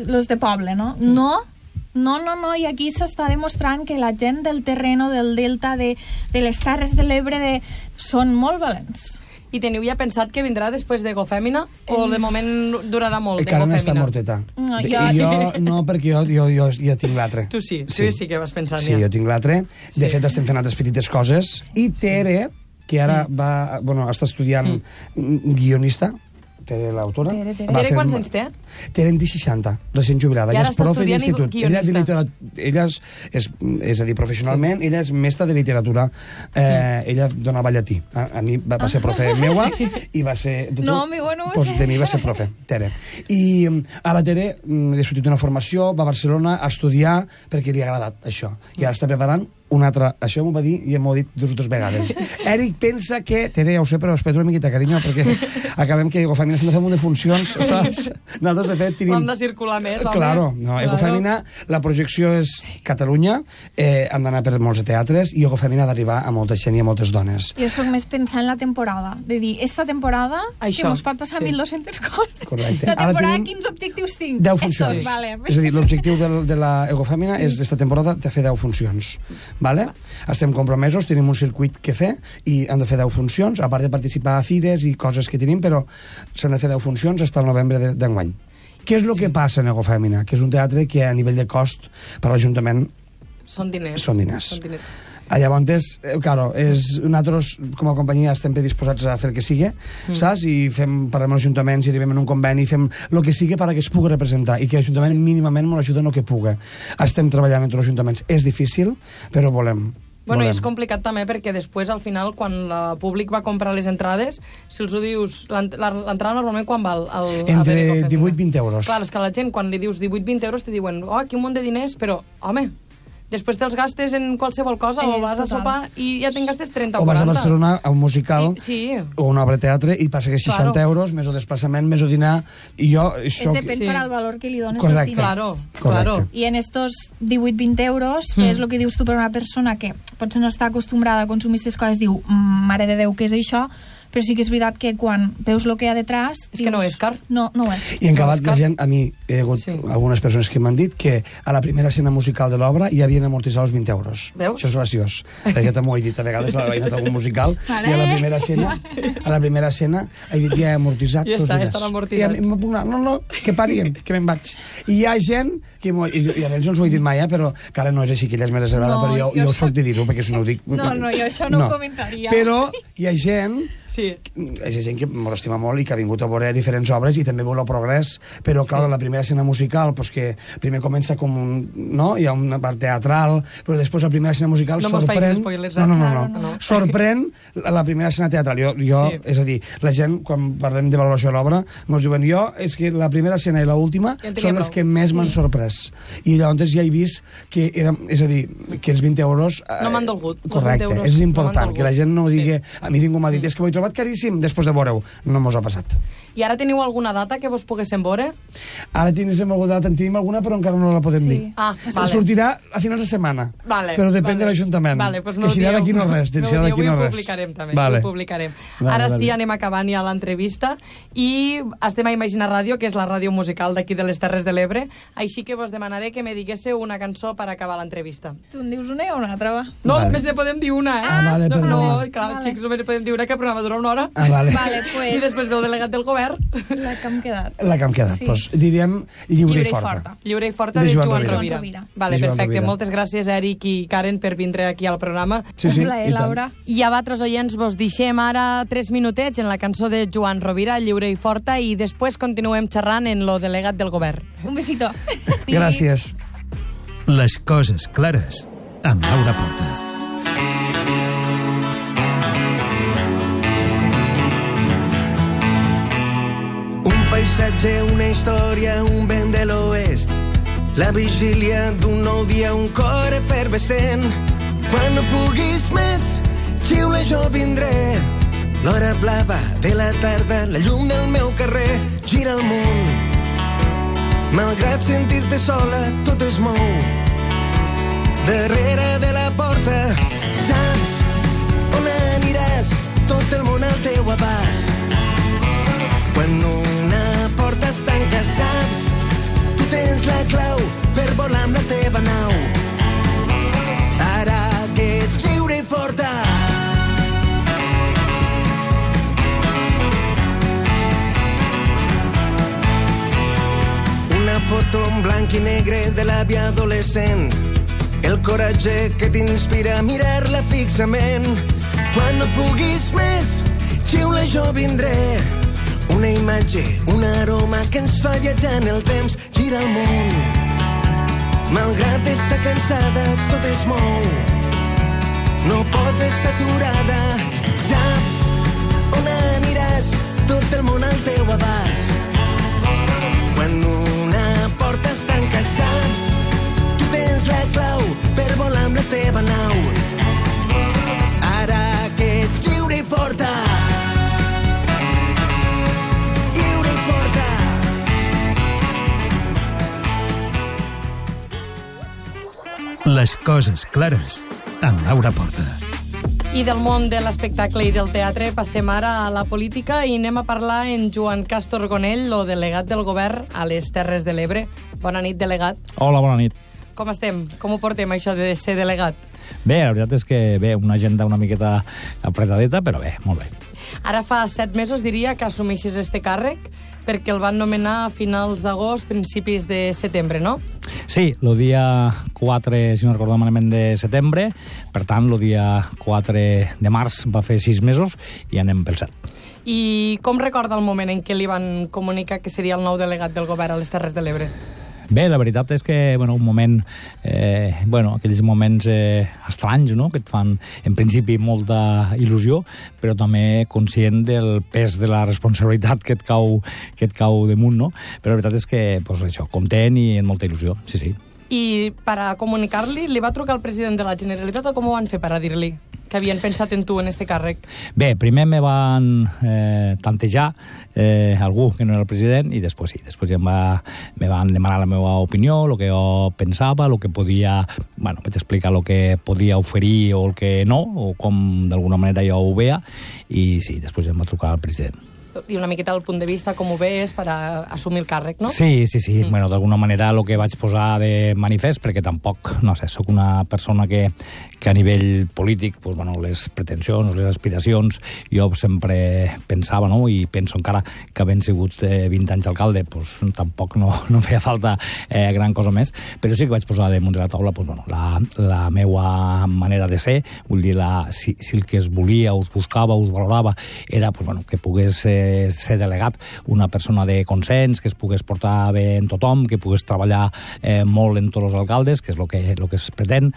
los de poble, no? No, i aquí s'està demostrant que la gent del terreno, del delta, de les Terres de l'Ebre, són molt valents. I teniu ja pensat que vindrà després d'Ecofèmina? O de moment durarà molt Encara no està d'Ecofèmina? morteta. Jo no, perquè jo ja tinc l'altre. Tu sí que vas pensant ja. Sí, jo tinc l'altre. De fet, estem fent altres petites coses. I Tere, que ara està estudiant guionista, Tere, l'autora. Tere, quants anys té? Tere en té 60, recent jubilada. I ara està estudiant guionista. Ella és a dir, professionalment, ella és mestra de literatura. Ella donava llatí. A mi va ser profe meua i va ser... No, meua no va ser. De mi va ser profe, Tere. I ara Tere li ha sortit una formació, va a Barcelona a estudiar perquè li ha agradat això. I ara està preparant un altre... Això m'ho va dir i m'ho ha dit 2 o 3 vegades. Eric pensa que... Tere, ja ho sé, però espera una miqueta, carinyo, perquè acabem que Ecofèmina s'han de fer un munt de funcions, saps? Nosaltres, de fet, tenim... Hem de circular més, home. Claro, no, Ecofèmina, la projecció és Catalunya, hem d'anar per molts teatres, i Ecofèmina ha d'arribar a molta gent i a moltes dones. Jo soc més pensant en la temporada, de dir, esta temporada, això, que mos pot passar 1.200 coses. Correcte. Esta temporada, quins objectius tinc? 10 funcions. Estos, vale. És a dir, l'objectiu de la Ecofèmina és, esta temporada, de fer 10 funcions. Vale? Estem compromesos, tenim un circuit que fer i han de fer 10 funcions, a part de participar a fires i coses que tenim, però s'han de fer 10 funcions fins al novembre d'enguany. Què és el que passa en Ecofèmina? Que és un teatre que a nivell de cost per l'Ajuntament són diners. Llavors, claro, nosaltres com a companyia estem predisposats a fer el que sigui, saps? I parlem amb els ajuntaments i arribem en un conveni i fem el que sigui perquè es pugui representar i que l'Ajuntament mínimament ens ajuda en el que pugui. Estem treballant entre els ajuntaments. És difícil, però volem. Bueno, i és complicat també perquè després, al final, quan el públic va comprar les entrades, si els ho dius... L'entrada normalment quan val? Entre 18 i 20 euros. Clar, és que la gent, quan li dius 18-20 euros, te diuen, aquí un munt de diners, però, home... Després te'ls gastes en qualsevol cosa, o vas a sopar i ja te'n gastes 30 o 40. O vas a Barcelona a un musical o una obra de teatre i passa que 60 euros, més o desplaçament, més o dinar... I jo... Depèn per al valor que li dones als diners. Claro. I en estos 18-20 euros, que és el que dius tu per una persona que potser no està acostumbrada a consumir aquestes coses, diu, mare de Déu, què és això? però sí que és veritat que quan veus el que hi ha detrás... És que no és car. No ho és. I en acabat la gent, a mi hi ha hagut algunes persones que m'han dit que a la primera escena musical de l'obra hi havien amortitzat els 20 euros. Veus? Això és graciós, perquè també ho he dit a vegades a la veïna d'algun musical, i a la primera escena he dit ja he amortitzat Ja tots està, diners. estan amortitzats. I em puc anar, no, que parien, que me'n vaig. I hi ha gent, que i a ells no us ho he dit mai, però que ara no és així, que ella és més reservada, però jo ho soc de dir-ho, perquè si no ho dic... No, jo això no ho comentaria. Però hi ha gent... Sí. Hi ha gent que m'ho estima molt i que ha vingut a veure diferents obres i també veu el progrés, però clar, la primera escena musical, pues que primer comença com un... no? Hi ha una part teatral, però després la primera escena musical sorprèn... No. Sorprèn la primera escena teatral. Jo sí. És a dir, la gent, quan parlem de valoració de l'obra, ens diuen jo, és que la primera escena i l'última són les que més m'han sorprès. I llavors ja he vist que era, és a dir, que els 20 euros... no m'han dolgut. Correcte, és important, que la gent no digui... A mi ningú m'ha dit, és que ho he trobat caríssim després de veure-ho. No mos ha passat. I ara teniu alguna data que vos poguéssim veure? Ara tenim alguna, però encara no la podem dir. Ah, vale. Sortirà a finals de setmana. Vale, però depèn de l'Ajuntament. Vale, pues que serà d'aquí no res. Avui ho publicarem també. Vale. Ho publicarem. Ara sí, anem acabant ja l'entrevista i estem a Imagina Ràdio, que és la ràdio musical d'aquí de les Terres de l'Ebre. Així que vos demanaré que me diguéssiu una cançó per acabar l'entrevista. Tu en dius una o una altra, va? No, només ne podem dir una, eh? Vale, no, clar, xics, només ne podem dir una, que el programa dura una hora. Vale. Pues... I després del delegat del govern. La que hem quedat. Sí. Pues diríem Lliure i Forta. Lliure i Forta de Joan Rovira. Vale, Joan perfecte. Rovira. Moltes gràcies, Eric i Karen, per vindre aquí al programa. Sí, Laura. I a vosaltres, oients, vos deixem ara 3 minutets en la cançó de Joan Rovira, Lliure i Forta, i després continuem xerrant en lo delegat del govern. Un besito. Gràcies. Les coses clares amb Laura Porta. Paisatge, una història, un vent de l'oest, la vigília d'un nou dia, un cor efervescent. Quan no puguis més, xiula, jo vindré. L'hora blava de la tarda, la llum del meu carrer, gira el món. Malgrat sentir-te sola, tot es mou. Darrere de la porta, saps on aniràs, tot el món al teu abast. Quan una porta es tanca, saps, tu tens la clau per volar amb la teva nau. Ara que ets lliure i forta. Una foto en blanc i negre de la via adolescent, el coratge que t'inspira a mirar-la fixament. Quan no puguis més, xiula, jo vindré. Una imatge, un aroma que ens fa viatjar en el temps, gira el món. Malgrat estar cansada, tot es mou. No pots estar aturada, saps on aniràs, tot el món al teu abast. Quan una porta es tanca, saps, tu tens la clau per volar amb la teva nau. Ara que ets lliure i forta. Les coses clares amb Laura Porta. I del món de l'espectacle i del teatre passem ara a la política i anem a parlar en Joan Castor Gonell, el delegat del govern a les Terres de l'Ebre. Bona nit, delegat. Hola, bona nit. Com estem? Com ho portem, això de ser delegat? Bé, la veritat és que bé, una agenda una miqueta apretadeta, però bé, molt bé. Ara fa 7 mesos, diria, que assumeixes este càrrec, perquè el van nomenar a finals d'agost, principis de setembre, no? Sí, el dia 4, si no recordo malament, de setembre. Per tant, el dia 4 de març va fer 6 mesos i anem pel 7. I com recorda el moment en què li van comunicar que seria el nou delegat del govern a les Terres de l'Ebre? Bé, la veritat és que, un moment, aquells moments estranys, no?, que et fan, en principi, molta il·lusió, però també conscient del pes de la responsabilitat que et cau damunt, no? Però la veritat és que, això, content i amb molta il·lusió, sí. I per a comunicar-li, li va trucar el president de la Generalitat o com ho van fer per a dir-li que havien pensat en tu, en este càrrec? Bé, primer me van tantejar algú que no era el president i després ja me van demanar la meva opinió, el que jo pensava, el que podia... Bueno, vaig explicar el que podia oferir o el que no, o com d'alguna manera jo ho veia, i sí, després ja em va trucar el president. I una miqueta el punt de vista, com ho veus per a assumir el càrrec, no? Sí. Bueno, d'alguna manera el que vaig posar de manifest, perquè tampoc, no sé, sóc una persona que a nivell polític, pues, bueno, les pretensions, les aspiracions, jo sempre pensava, no?, i penso encara que havent sigut 20 anys alcalde, pues, tampoc no feia falta gran cosa més, però sí que vaig posar damunt de la taula, pues, bueno, la meua manera de ser, vull dir, si el que es volia, us buscava, us valorava, era, pues, bueno, que pogués ser delegat una persona de consens, que es pogués portar bé en tothom, que pogués treballar molt en tots els alcaldes, que és el que es pretén,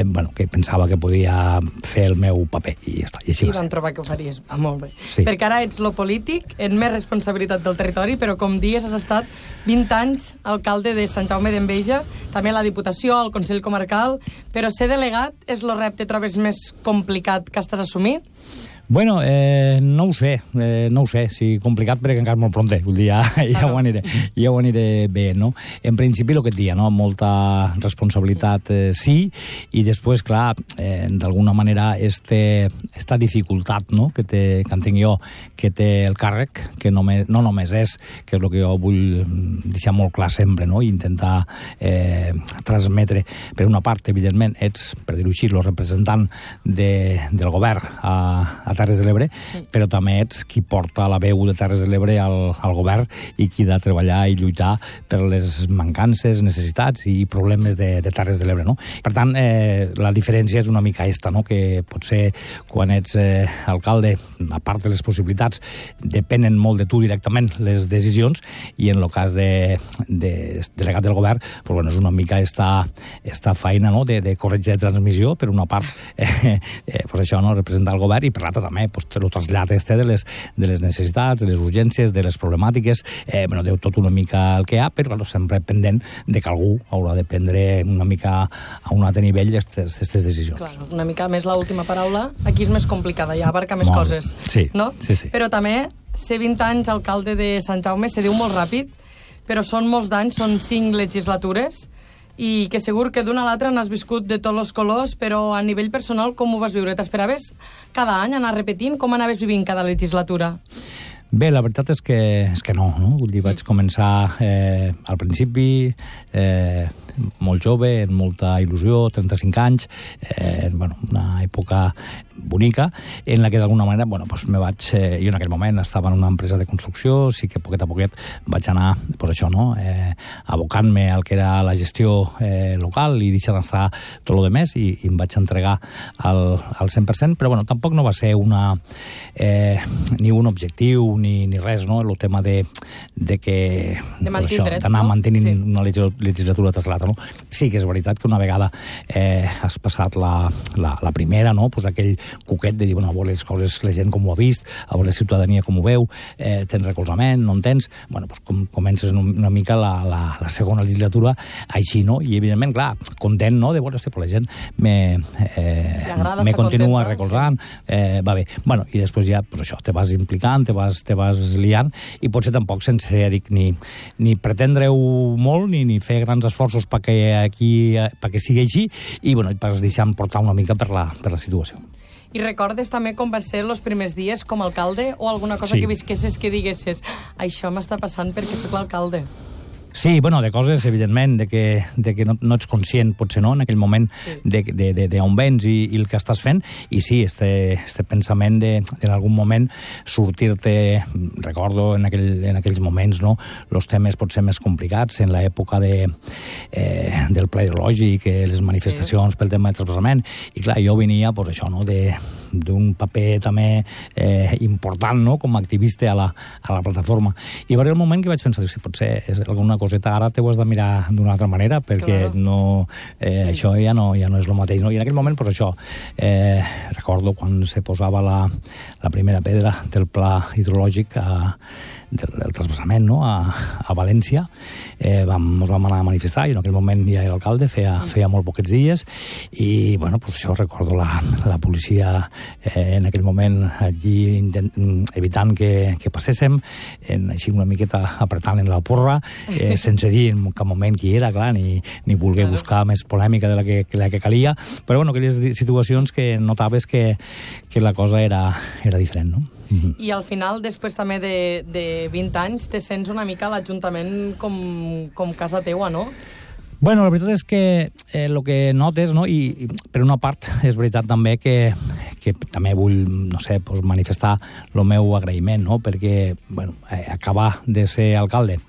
bueno, que pensava que podia fer el meu paper, i ja està, i així va ser. I van trobar que ho faries, molt bé. Sí. Perquè ara ets lo polític, en més responsabilitat del territori, però com dies has estat 20 anys alcalde de Sant Jaume d'Enveja, també a la Diputació, al Consell Comarcal, però ser delegat és el repte, trobes més complicat que estàs assumint? Bueno, no ho sé, si complicat perquè encara molt pronte, vull dir, ja ho aniré bé, no? En principi, el que et dia, no? Molta responsabilitat, sí, i després, clar, d'alguna manera, esta dificultat, no?, que entenc jo, que té el càrrec, que no només és, que és el que jo vull deixar molt clar sempre, no?, i intentar transmetre, per una part, evidentment, ets, per dir-ho així, el representant del govern a Terres de l'Ebre, però també ets qui porta la veu de Terres de l'Ebre al govern i qui ha de treballar i lluitar per les mancances, necessitats i problemes de Terres de l'Ebre, no? Per tant, la diferència és una mica esta, no?, que potser quan ets alcalde, a part de les possibilitats, depenen molt de tu directament les decisions, i en el cas de delegat del govern, pues, bueno, és una mica esta feina, no?, de corretja de transmissió, per una part, pues això, no?, representar el govern, i per l'altra també, pues, el trasllat de les necessitats, de les urgències, de les problemàtiques, bueno, de tot una mica el que hi ha, però bueno, sempre pendent de que algú haurà de prendre una mica a un altre nivell aquestes decisions. Clar, una mica més l'última paraula, aquí és més complicada, ja abarca més coses, sí, no? Sí. Però també, ser 20 anys alcalde de Sant Jaume se diu molt ràpid, però són molts d'anys, són 5 legislatures, i que segur que d'una a l'altra n'has viscut de tots els colors, però a nivell personal com ho vas viure? T'esperaves cada any anar repetint? Com anaves vivint cada legislatura? Bé, la veritat és que no? Vull dir, vaig començar al principi molt jove, amb molta il·lusió, 35 anys, bueno, una època bonica, en la que d'alguna manera, bueno, pues me vaig... jo en aquell moment estava en una empresa de construcció, sí que poquet a poquet vaig anar, pues això, no?, abocant-me al que era la gestió local i deixar d'estar tot el demés, i em vaig entregar al 100%, però bueno, tampoc no va ser ni un objectiu ni res, no?, el tema de que... De mantindre't, d'anar mantenint sí, una legislatura tras l'altra, no? Sí que és veritat que una vegada has passat la primera, no?, pues aquell cuquet de dir, bueno, a veure les coses, la gent com ho ha vist, a veure la ciutadania com ho veu, tens recolzament, no en tens, bueno, pues comences una mica la segona legislatura així, no? I evidentment, clar, content, no?, de veure, pues la gent me continua recolzant, va bé. Bueno, i després ja, pues això, te vas implicant, te vas liant, i potser tampoc sense ni pretendre-ho molt, ni fer grans esforços perquè sigui així, i bueno, et vas deixant portar una mica per la situació. I recordes també com va ser els primers dies com a alcalde, o alguna cosa que visquessis que diguessis això m'està passant perquè soc l'alcalde? Sí, bueno, de coses, evidentment, de que no ets conscient, potser no, en aquell moment, d'on vens i el que estàs fent, i sí, este pensament en algun moment sortir-te, recordo en aquells moments, no?, els temes potser més complicats, en l'època del ple ideològic, les manifestacions pel tema de trasplaçament, i clar, jo venia, pues això, no?, d'un paper també important, no?, com a activista a la plataforma. I va arribar el moment que vaig pensar, si potser és alguna coseta ara t'ho has de mirar d'una altra manera, perquè això ja no és el mateix. No? I en aquell moment, doncs això, recordo quan se posava la primera pedra del pla hidrològic del transvasament, no?, a València, ens vam anar a manifestar, i en aquell moment ja era alcalde, feia molt poquets dies, i, bueno, doncs això recordo la policia en aquell moment allí evitant que passéssim, així una miqueta apretant en la porra, sense dir en cap moment qui era, clar, ni voler buscar més polèmica de la que calia, però, bueno, aquelles situacions que notaves que la cosa era diferent, no? I al final, després també de 20 anys, te sents una mica a l'Ajuntament com casa teua, no? Bueno, la veritat és que el que notes, no?, i per una part és veritat també que també vull, no sé, manifestar el meu agraïment, no?, perquè, bueno, acabar de ser alcalde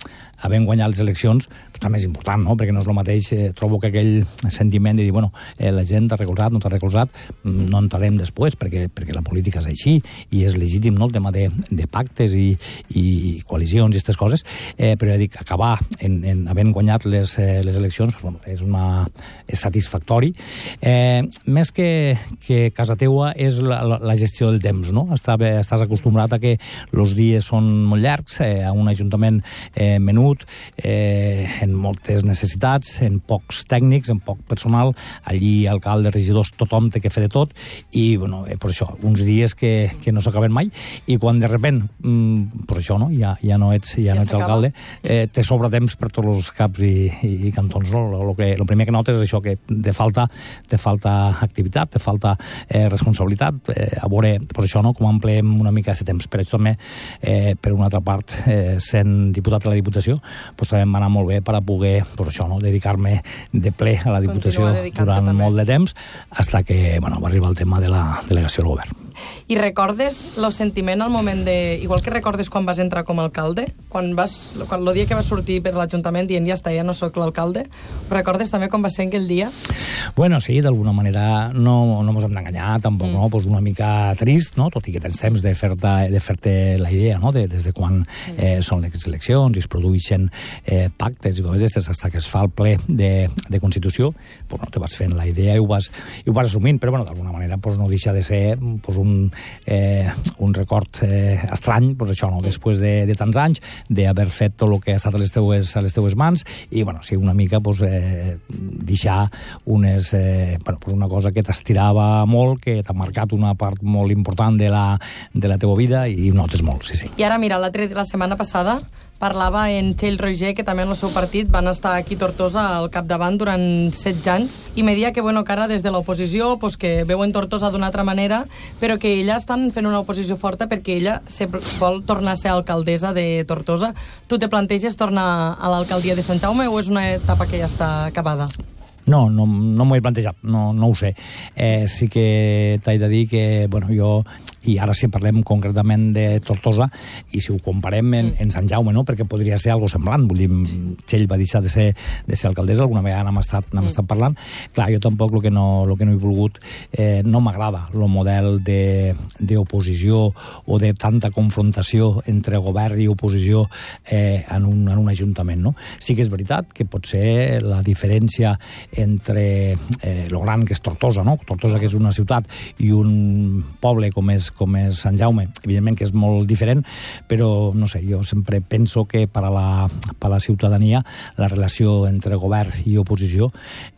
havent guanyat les eleccions, també és important, no?, perquè no és el mateix, trobo que aquell sentiment de dir, bueno, la gent t'ha recolzat, no t'ha recolzat, no entrarem després, perquè la política és així, i és legítim, no?, el tema de pactes i coalicions i aquestes coses, però ja dic, acabar havent guanyat les eleccions, bueno, és satisfactori. Més que casa teua és la gestió del temps, no? Estàs acostumbrat a que els dies són molt llargs, a un ajuntament menut, en moltes necessitats, en pocs tècnics, en poc personal, allí alcalde, regidors, tothom té que fer de tot, i, bueno, per això, uns dies que no s'acaben mai, i quan de repent, per això, no?, ja no ets alcalde, te sobra temps per tots els caps i cantons, no? El primer que notes és això, que te falta activitat, te falta responsabilitat, a veure, per això, no?, com empleem una mica aquest temps. Per això també, per una altra part, sent diputat a la Diputació, doncs també em va anar molt bé per a poder, doncs això, no?, dedicar-me de ple a la Diputació durant molt de temps, fins que, bueno, va arribar el tema de la delegació del govern. I recordes el sentiment al moment de... Igual que recordes quan vas entrar com a alcalde, el dia que vas sortir per l'Ajuntament dient ja està, ja no soc l'alcalde, recordes també com va ser aquell dia? Bueno, sí, d'alguna manera no ens hem d'enganyar, tampoc, no? Pues una mica trist, no? Tot i que tens temps de fer-te la idea, no?, des de quan són les eleccions i es produeixen pactes i coses aquestes, fins que es fa el ple de Constitució, pues no te vas fent la idea i ho vas assumint, però bueno, d'alguna manera pues no deixa de ser pues un record estrany, pues això, no?, després de tants anys, d'haver fet tot el que ha estat a les teues mans, i bueno, sí, una mica pues, deixar una cosa que t'estirava molt, que t'ha marcat una part molt important de la teua vida, i notes molt, sí. I ara, mira, la setmana passada parlava en Txell Roger, que també en el seu partit van estar aquí a Tortosa al capdavant durant 16 anys, i me dia que, bueno, que ara des de l'oposició, pues, que veuen Tortosa d'una altra manera, però que ella estan fent una oposició forta perquè ella vol tornar a ser alcaldessa de Tortosa. Tu te planteges tornar a l'alcaldia de Sant Jaume o és una etapa que ja està acabada? No m'ho he plantejat, no ho sé. Sí que t'he de dir que, bueno, jo, i ara si parlem concretament de Tortosa, i si ho comparem en Sant Jaume, no?, perquè podria ser algo semblant, vull dir, Txell va deixar de ser alcaldessa, alguna vegada n'hem estat parlant. Clar, jo tampoc el que no he volgut, no m'agrada el model d'oposició o de tanta confrontació entre govern i oposició en un ajuntament, no? Sí que és veritat que potser la diferència entre lo gran que és Tortosa, no? Tortosa, que és una ciutat, i un poble com és Sant Jaume, evidentment que és molt diferent, però no sé, jo sempre penso que per a la ciutadania la relació entre govern i oposició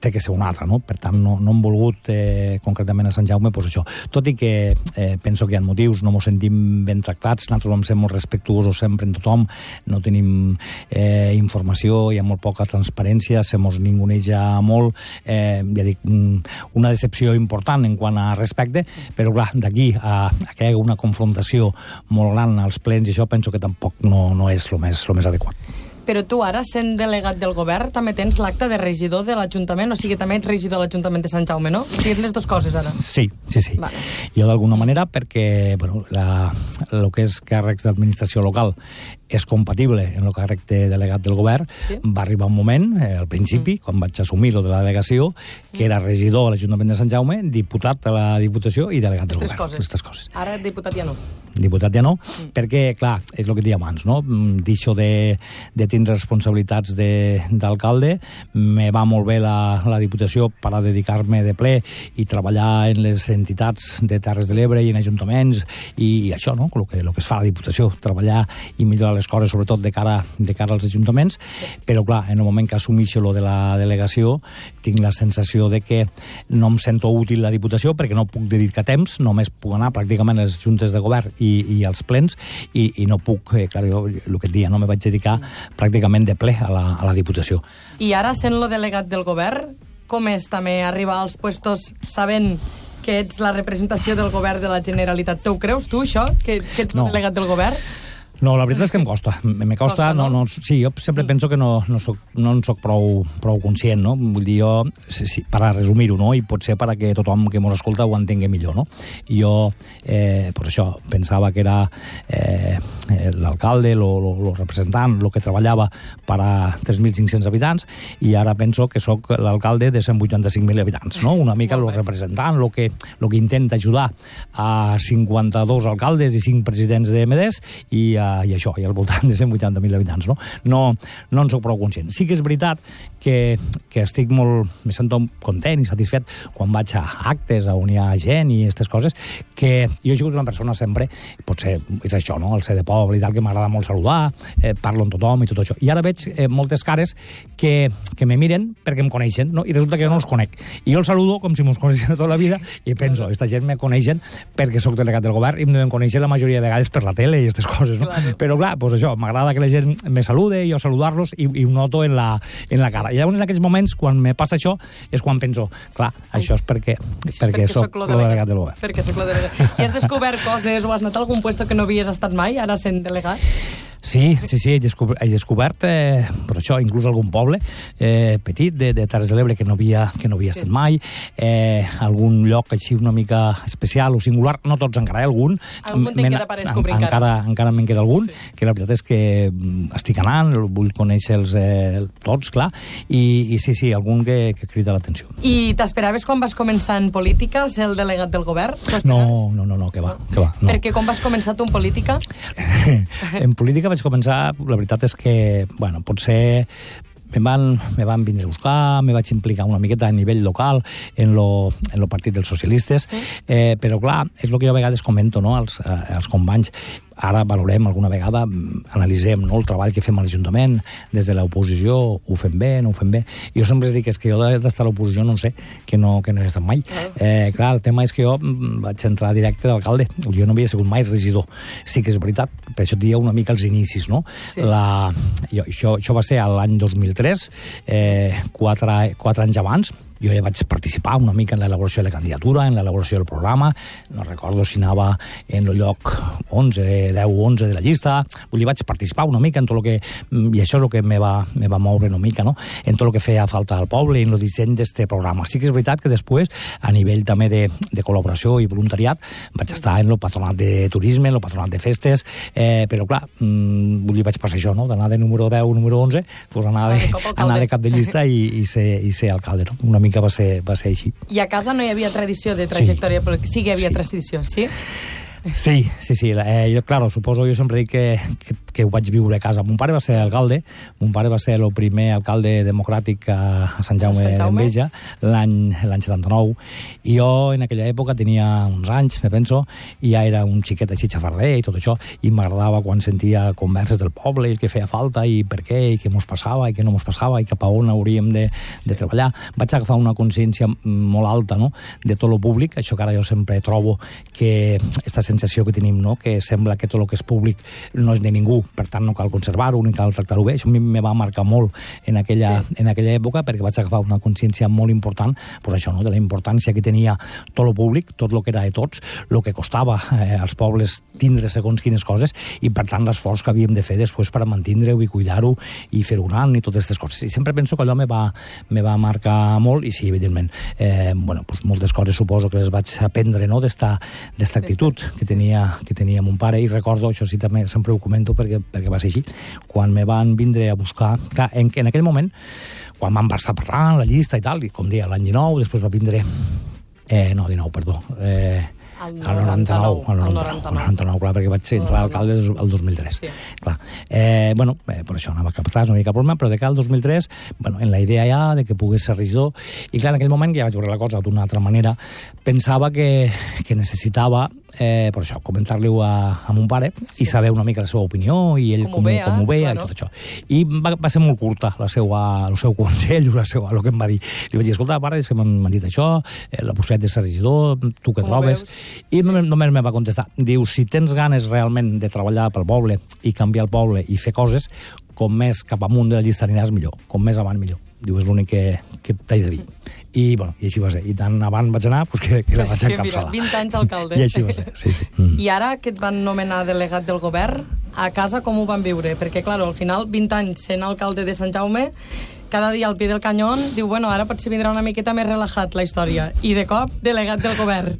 té que ser una altra, no? Per tant, no hem volgut concretament a Sant Jaume, doncs això. Tot i que penso que hi ha motius, no ens sentim ben tractats, nosaltres vam ser molt respectuosos sempre en tothom, no tenim informació, hi ha molt poca transparència, se mos ninguneja molt, ja dic, una decepció important en quant a respecte, però clar, d'aquí a que hi hagi una confrontació molt gran als plens, i això penso que tampoc no és el més adequat. Però tu ara, sent delegat del govern, també tens l'acte de regidor de l'Ajuntament, o sigui, també ets regidor de l'Ajuntament de Sant Jaume, no? O sigui, les dues coses, ara. Sí. Vale. Jo, d'alguna manera, perquè el que és càrrecs d'administració local és compatible en el càrrec de delegat del govern. Sí. Va arribar un moment, al principi, quan vaig assumir lo de la delegació, que era regidor a l'Ajuntament de Sant Jaume, diputat de la Diputació i delegat del govern. Aquestes coses. Ara diputat ja no. Diputat ja no, perquè, clar, és el que deia abans, no? Deixo de tindre responsabilitats d'alcalde, me va molt bé la Diputació per a dedicar-me de ple i treballar en les entitats de Terres de l'Ebre i en ajuntaments, i això, no?, el que es fa a la Diputació, treballar i millorar les coses, sobretot de cara als ajuntaments, però, clar, en el moment que assumixo lo de la delegació, tinc la sensació de que no em sento útil la Diputació perquè no puc dedicar temps, només puc anar pràcticament a les juntes de govern i als plens, i no puc, clar, jo el que et dia, no me vaig dedicar pràcticament de ple a la Diputació. I ara, sent lo delegat del govern, com és també arribar als puestos sabent que ets la representació del govern de la Generalitat? Te ho creus, tu, això, que ets el delegat del govern? No, la veritat és que em costa. Sí, jo sempre penso que no en soc prou conscient, no? Vull dir, jo, per a resumir-ho, no? I potser perquè tothom que mos escolta ho entengui millor, no? Jo, pues això, pensava que era l'alcalde, el representant, el que treballava per a 3.500 habitants, i ara penso que sóc l'alcalde de 185.000 habitants, no? Una mica el representant, el que intenta ajudar a 52 alcaldes i 5 presidents de MDs, i això, i al voltant de 180.000 habitants, no? No en soc prou conscient. Sí que és veritat que estic me sento content i satisfet quan vaig a actes, on hi ha gent i aquestes coses, que jo he sigut una persona sempre, potser és això, no?, el ser de poble i tal, que m'agrada molt saludar, parlo amb tothom i tot això. I ara veig moltes cares que me miren perquè em coneixen, no? I resulta que jo no els conec. I jo els saludo com si mos coneixen tota la vida i penso, esta gent me coneixen perquè sóc delegat del govern i em deuen conèixer la majoria de vegades per la tele i aquestes coses, no? Però clar, pues això, m'agrada que la gent me salude i jo saludar-los i ho noto en la cara. I llavors en aquells moments, quan me passa això, és quan penso, clar, això és perquè soc el delegat del govern. Perquè soc el delegat. I has descobert coses o has anat a algun puesto que no havies estat mai, ara sent delegat? Sí, he descobert per això, inclús algun poble petit de Terres de l'Ebre que no havia estat mai, algun lloc així una mica especial o singular, no tots encara, algun te'n queda per descobrir encara me'n queda algun, que la veritat és que estic anant, vull conèixer-los tots, clar, i sí, algun que crida l'atenció. I t'esperaves quan vas començar en política ser el delegat del govern? No, que va. No. Perquè com vas començar tu en política? En política vaig començar, la veritat és que, bueno, potser me van vindre a buscar, me vaig implicar una miqueta a nivell local en lo partit dels socialistes, però clar, és el que jo a vegades comento, no?, als companys. Ara valorem alguna vegada, analitzem, no?, el treball que fem a l'Ajuntament des de l'oposició, ho fem bé, no ho fem bé. I jo sempre dic que jo d'estar a l'oposició no sé, que no he estat mai. Clar, el tema és que jo vaig entrar directe d'alcalde, jo no havia sigut mai regidor. Sí que és veritat, per això et dia una mica els inicis, no? Sí. Això va ser l'any 2003, 4 anys abans. Jo ja vaig participar una mica en l'elaboració de la candidatura, en l'elaboració del programa, no recordo si anava en el lloc 10 o 11 de la llista, vull dir, vaig participar una mica en tot el que, i això és el que me va moure una mica, no?, en tot el que feia falta al poble, en el disseny d'este programa. Sí que és veritat que després, a nivell també de col·laboració i voluntariat, vaig estar en el patronat de turisme, en el patronat de festes, però clar, vull dir, vaig passar això, no?, d'anar de número 10 o número 11, doncs anar de cap de llista i ser alcalde, no?, una mica va ser així. I a casa no hi havia tradició de trajectòria, però sí que hi havia tradició, sí? Sí. Jo, claro, suposo, jo sempre dic que ho vaig viure a casa. Mon pare va ser alcalde, mon pare va ser el primer alcalde democràtic a Sant Jaume d'Enveja, l'any 79, i jo en aquella època tenia uns anys, me penso, i ja era un xiquet així xafarder i tot això, i m'agradava quan sentia converses del poble, i el que feia falta, i per què, i què mos passava, i què no mos passava, i cap a on hauríem de treballar. Vaig agafar una consciència molt alta, no?, de tot lo públic, això que ara jo sempre trobo que aquesta sensació que tenim, no?, que sembla que tot el que és públic no és de ningú per tant no cal conservar-ho ni cal tractar-ho bé. Això a mi me va marcar molt en aquella època, perquè vaig agafar una consciència molt important, pues això, no? De la importància que tenia tot lo públic, tot lo que era de tots, lo que costava als pobles tindre segons quines coses, i per tant l'esforç que havíem de fer després per mantindre-ho i cuidar-ho i fer-ho gran i totes aquestes coses. I sempre penso que allò me va marcar molt, i sí, evidentment, pues moltes coses suposo que les vaig aprendre, no?, d'esta actitud que tenia mon pare, i recordo, això sí també sempre ho comento perquè va ser així, quan me van vindre a buscar, clar, en aquell moment, quan vam estar parlant la llista i tal, i com deia, l'any 19, després va vindre... no, 19, perdó. Al 99, clar, perquè vaig entrar a alcalde el 2003. Sí. Clar. Per això anava cap atrás, no hi havia cap problema, però de cara al 2003, en la idea ja de que pogués ser regidor, i clar, en aquell moment, que ja vaig veure la cosa d'una altra manera, pensava que necessitava, per això, comentar-li-ho a mon pare i saber una mica la seva opinió i ell com ho veia i tot això. I va ser molt curta el seu consell, el que em va dir. Li vaig dir, escolta, pare, és que m'han dit això, la possibilitat de ser regidor, tu què trobes? I només me va contestar, diu, si tens ganes realment de treballar pel poble i canviar el poble i fer coses, com més cap amunt de la llista aniràs millor, com més avant millor. Diu, és l'únic que t'he de dir. I així va ser. I tant avant vaig anar que la vaig encapçalar. 20 anys alcalde. I així va ser, sí. I ara que et van nomenar delegat del govern, a casa com ho van viure? Perquè, clar, al final, 20 anys sent alcalde de Sant Jaume, cada dia al pie del canyón, diu, ara potser vindrà una miqueta més relajat la història. I de cop, delegat del govern.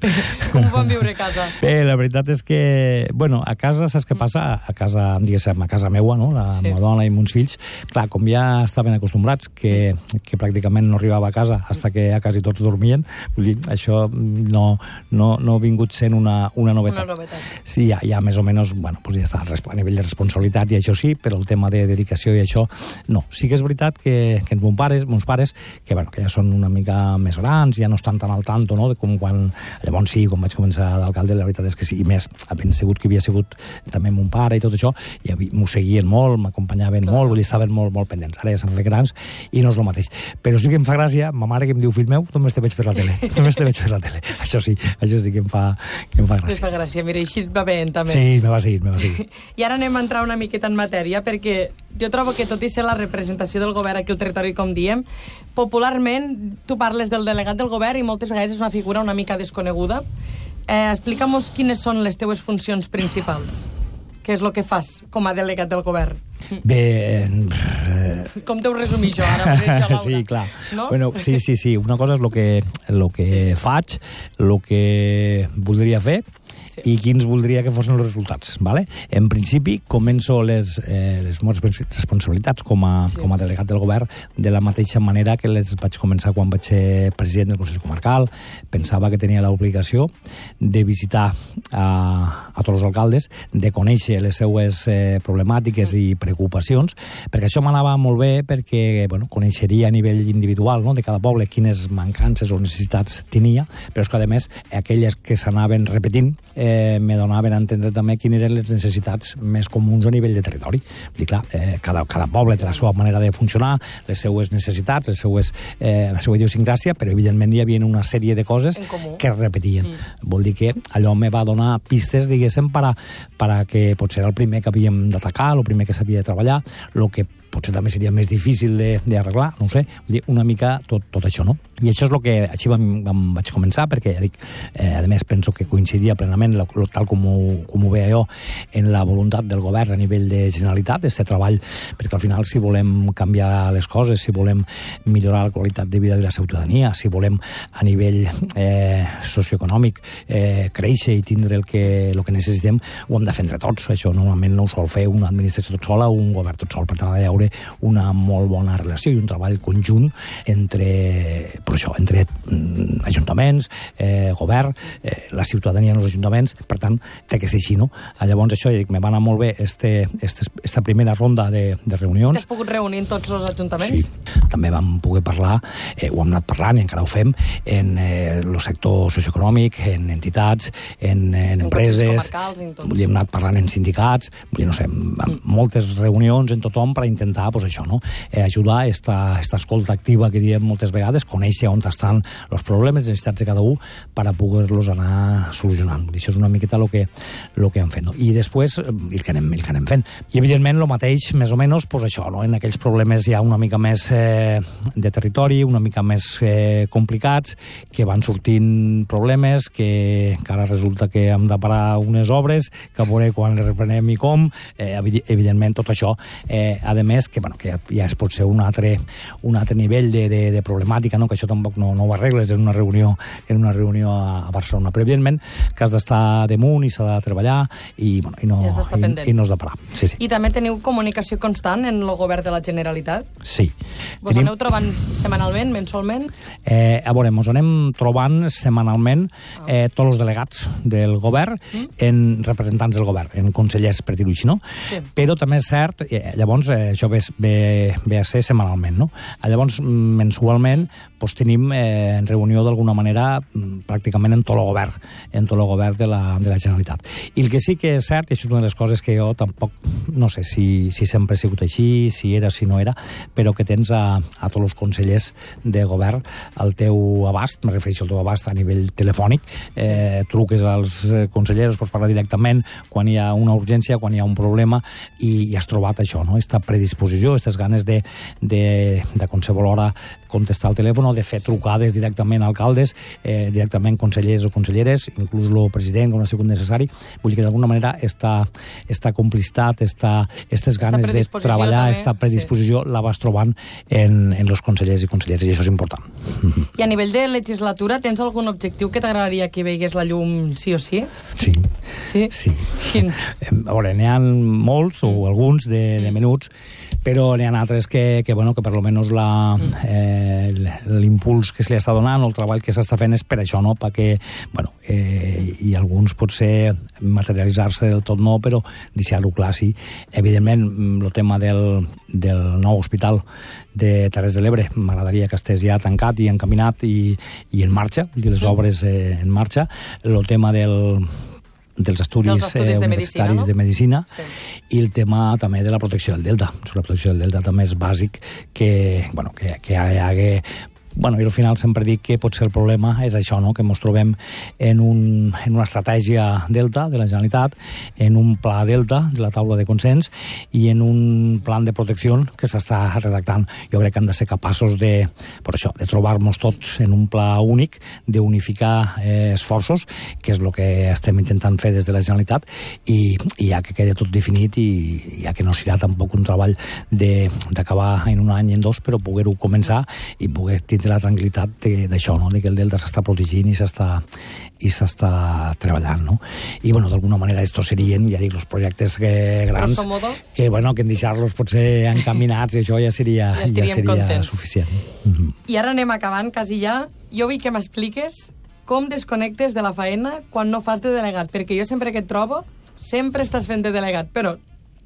Com ho van viure a casa? Bé, la veritat és que, a casa, saps què passa? A casa, diguéssim, a casa meua, no? La meva dona i meus fills, clar, com ja estaven acostumbrats que pràcticament no arribava a casa fins que ja quasi tots dormien, vull dir, això no ha vingut sent una novetat. Una novetat. Sí, ja més o menys, ja està a nivell de responsabilitat i això sí, però el tema de dedicació i això, no. Sí que és veritat que mons pares, que ja són una mica més grans, ja no estan tan al tanto, no?, de com quan... Llavors sí, quan vaig començar d'alcalde, la veritat és que sí, i més, havent sigut que havia sigut també mon pare i tot això, i m'ho seguien molt, m'acompanyaven molt, vull dir, estaven molt pendents. Ara ja s'han fet grans i no és el mateix. Però sí que em fa gràcia, ma mare que em diu, fill meu, només te veig per la tele. Això sí que em fa gràcia. Te fa gràcia, mira, així va bé, també. Sí, me va seguir. I ara anem a entrar una miqueta en matèria, perquè jo trobo que tot i ser la representació del govern aquí al territori, com diem, popularment tu parles del delegat del govern i moltes vegades és una figura una mica desconeguda. Explica'm-nos quines són les teues funcions principals. Què és el que fas com a delegat del govern? Bé... Com t'ho resumís jo ara? Sí, clar. No? Sí. Una cosa és el que faig, el que voldria fer, i quins voldria que fossin els resultats, ¿vale? En principi, començo les meves responsabilitats com a delegat del govern de la mateixa manera que les vaig començar quan vaig ser president del Consell Comarcal. Pensava que tenia l'obligació de visitar a tots els alcaldes, de conèixer les seues problemàtiques i preocupacions, perquè això m'anava molt bé, perquè coneixeria a nivell individual, no?, de cada poble quines mancances o necessitats tenia, però és que, a més, aquelles que s'anaven repetint me donaven a entendre també quines eren les necessitats més comuns a nivell de territori. Vull dir, clar, cada poble té la seva manera de funcionar, les seues necessitats, la seva idiosincràsia, però evidentment hi havia una sèrie de coses que es repetien. Vol dir que allò me va donar pistes, diguéssim, per a que potser era el primer que havíem d'atacar, el primer que s'havia de treballar, el que potser també seria més difícil d'arreglar, no ho sé, vull dir, una mica tot això, no? I això és el que així vaig començar, perquè, ja dic, a més penso que coincidia plenament, tal com ho veia jo, en la voluntat del govern a nivell de Generalitat, aquest treball, perquè al final, si volem canviar les coses, si volem millorar la qualitat de vida de la ciutadania, si volem a nivell socioeconòmic créixer i tindre el que necessitem, ho hem de fer entre tots. Això normalment no ho sol fer una administració tot sola o un govern tot sol. Per tant, ha d'haver una molt bona relació i un treball conjunt entre ajuntaments, govern, la ciutadania en els ajuntaments. Per tant, té que ser així, no? Llavors, això, me va anar molt bé esta primera ronda de reunions. T'has pogut reunir en tots els ajuntaments? Sí, també vam poder parlar, ho hem anat parlant i encara ho fem, en el sector socioeconòmic, en entitats, en empreses, hem anat parlant en sindicats, no sé, amb moltes reunions en tothom per intentar intentar, doncs això, no? Ajudar esta escolta activa que diem moltes vegades, conèixer on estan els problemes, les necessitats de cada un, per a poder-los anar solucionant. Això és una miqueta el que hem fet, no? I després, el que anem fent. I, evidentment, el mateix, més o menys, doncs això, no? En aquells problemes ja una mica més de territori, una mica més complicats, que van sortint problemes, que ara resulta que hem de parar unes obres, que a veure quan les reprenem i com, evidentment tot això, a més, que ja es pot ser un altre nivell de problemàtica, no? Que això tampoc no ho arregles en una reunió a Barcelona, però evidentment que has d'estar damunt i s'ha de treballar i no has de parar. Sí. I també teniu comunicació constant en el govern de la Generalitat? Sí. Vos aneu trobant setmanalment, mensualment? A veure, ens anem trobant setmanalment tots els delegats del govern en representants del govern, en consellers, per dir-ho així, no? Sí. Però també és cert, llavors això ve a ser setmanalment, no? Llavors, mensualment, tenim reunió d'alguna manera pràcticament en tot el govern de la Generalitat. I el que sí que és cert, i això és una de les coses que jo tampoc no sé si sempre ha sigut així, si era, si no era, però que tens a tots els consellers de govern al teu abast, me refereixo al teu abast a nivell telefònic, truques als consellers, pots parlar directament quan hi ha una urgència, quan hi ha un problema, i has trobat això, no? Aquesta predisposició, aquestes ganes de qualsevol hora contestar al telèfon o de fer trucades directament a alcaldes, directament consellers o conselleres, inclús el president, quan ha sigut necessari. Vull dir que d'alguna manera esta complicitat, aquestes ganes de treballar, aquesta predisposició la vas trobant en els consellers i conselleres, i això és important. I a nivell de legislatura, tens algun objectiu que t'agradaria que veigués la llum sí o sí? Sí. Quins? A veure, n'hi ha molts, o alguns, de menuts, però n'hi ha altres que per almenys l'impuls que se li està donant o el treball que s'està fent és per això, no? Perquè, i alguns potser materialitzar-se del tot no, però deixar-ho clar, sí. Evidentment, el tema del nou hospital de Terres de l'Ebre m'agradaria que estés ja tancat i encaminat i en marxa, les obres en marxa. El tema dels estudis universitaris de medicina, sí. I el tema també de la protecció del delta. La protecció del delta també és bàsic que hi hagi... I al final sempre dic que potser el problema és això, no? Que ens trobem en una estratègia delta de la Generalitat, en un pla delta de la taula de consens i en un plan de protecció que s'està redactant. Jo crec que hem de ser capaços de trobar-nos tots en un pla únic, d'unificar esforços, que és el que estem intentant fer des de la Generalitat, i ja que quedi tot definit i ja que no serà tampoc un treball d'acabar en un any, en dos, però poder-ho començar i poder tindre la tranquil·litat d'això, no? De que el delta s'està protegint i s'està treballant, no? I, d'alguna manera, estos serien, ja dic, els projectes grans que en deixar-los potser encaminats i això ja seria suficient. I ara anem acabant, quasi ja. Jo vull que m'expliques com desconnectes de la faena quan no fas de delegat, perquè jo sempre que et trobo, sempre estàs fent de delegat, però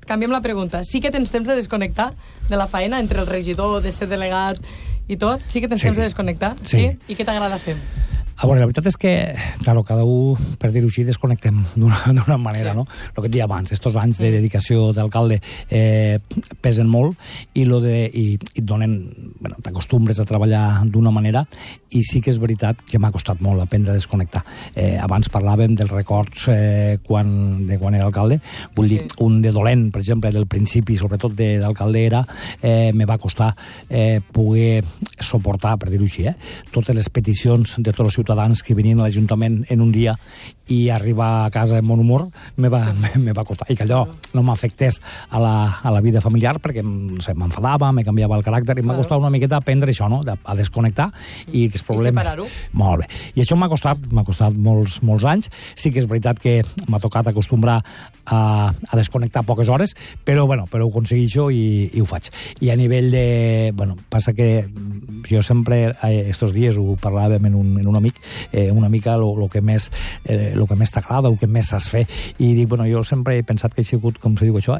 canviem la pregunta. Sí que tens temps de desconnectar de la faena entre el regidor, de ser delegat i tot? Sí que tens temps de desconnectar? Sí. I què t'agrada fer? A veure, la veritat és que, clar, cada un, per dir-ho així, desconnectem d'una manera, no? El que et deia abans, estos anys de dedicació d'alcalde pesen molt i et donen, t'acostumbres a treballar d'una manera, i sí que és veritat que m'ha costat molt aprendre a desconnectar. Abans parlàvem dels records de quan era alcalde, vull dir, un de dolent, per exemple, del principi, sobretot d'alcalde, me va costar poder suportar, per dir-ho així, totes les peticions de tots els ciutadans que venien a l'Ajuntament en un dia i arribar a casa amb bon humor me va costar. I que allò no m'afectés a la vida familiar perquè m'enfadava, me canviava el caràcter i m'ha costat una miqueta aprendre això, no? A desconnectar i que els problemes... I separar-ho. Molt bé. I això m'ha costat molts anys. Sí que és veritat que m'ha tocat acostumbrar a desconnectar poques hores, però ho aconsegueixo i ho faig. I a nivell de... passa que jo sempre, estos dies ho parlàvem en un amic, una mica el que més t'agrada, el que més saps fer, i dic, jo sempre he pensat que he sigut, com se diu això,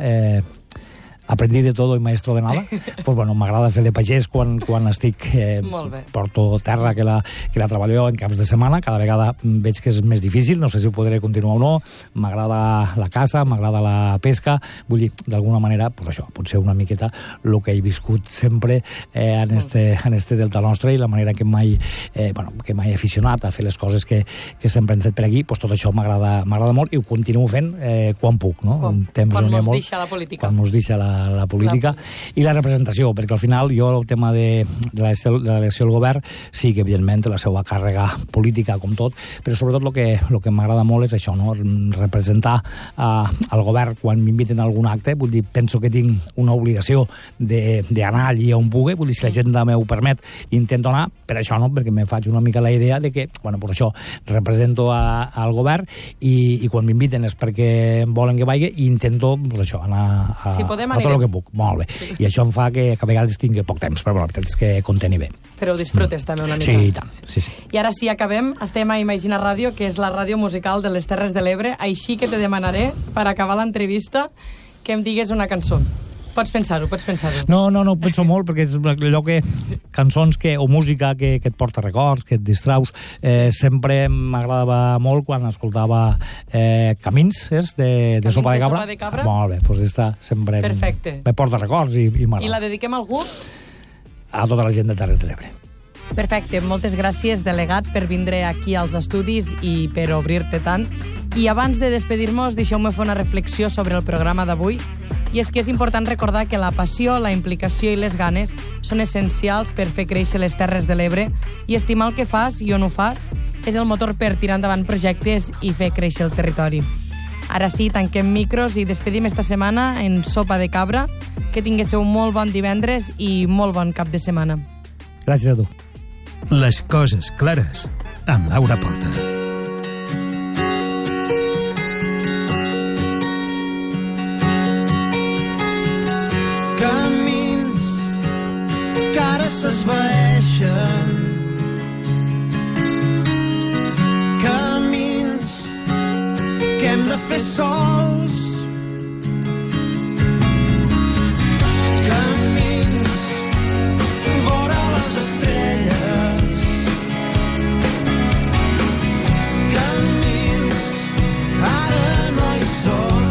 aprendí de todo y maestro de nada. Pues bueno, m'agrada fer de pagès quan estic... porto terra que la treballo en caps de setmana, cada vegada veig que és més difícil, no sé si ho podré continuar o no, m'agrada la caça, m'agrada la pesca, vull dir, d'alguna manera, pues això, potser una miqueta el que he viscut sempre en este delta nostre i la manera que m'he aficionat a fer les coses que sempre hem fet per aquí, pues tot això m'agrada molt i ho continuo fent quan puc, no? Quan mos deixa la política. Quan mos deixa la política i la representació, perquè al final jo el tema de l'elecció del govern sí que evidentment la seva càrrega política com tot, però sobretot el que m'agrada molt és això, no? Representar al govern quan m'inviten a algun acte, vull dir, penso que tinc una obligació d'anar allí on pugui, vull dir, si l'agenda m'ho permet, intento anar, per això no, perquè me faig una mica la idea de que, bueno, pues això, represento al govern i quan m'inviten és perquè volen que vagi i intento, pues això, anar a tot el que puc. Molt bé. Sí. I això em fa que a vegades tingui poc temps, però la veritat és que conteni bé. Però ho disfrutes també una mica. Sí, i tant. Sí. I ara sí, acabem. Estem a Imagina Ràdio, que és la ràdio musical de les Terres de l'Ebre, així que te demanaré, per acabar l'entrevista, que em digues una cançó. Pots pensar-ho. No, penso molt, perquè és allò que... cançons o música que et porta records, que et distraus. Sempre m'agradava molt quan escoltava Camins, de Sopa de Cabra. Molt bé, doncs esta sempre me porta records i m'agrada. I la dediquem a algú? A tota la gent de Terres de l'Ebre. Perfecte, moltes gràcies, delegat, per vindre aquí als estudis i per obrir-te tant. I abans de despedir-nos, deixeu-me fer una reflexió sobre el programa d'avui. I és que és important recordar que la passió, la implicació i les ganes són essencials per fer créixer les Terres de l'Ebre i estimar el que fas i on ho fas és el motor per tirar endavant projectes i fer créixer el territori. Ara sí, tanquem micros i despedim esta setmana en Sopa de Cabra. Que tinguéssiu un molt bon divendres i molt bon cap de setmana. Gràcies a tu. Les coses clares, amb Laura Porta. Camins que ara s'esvaeixen, camins que hem de fer sols, camins vora les estrelles, camins que ara no hi són.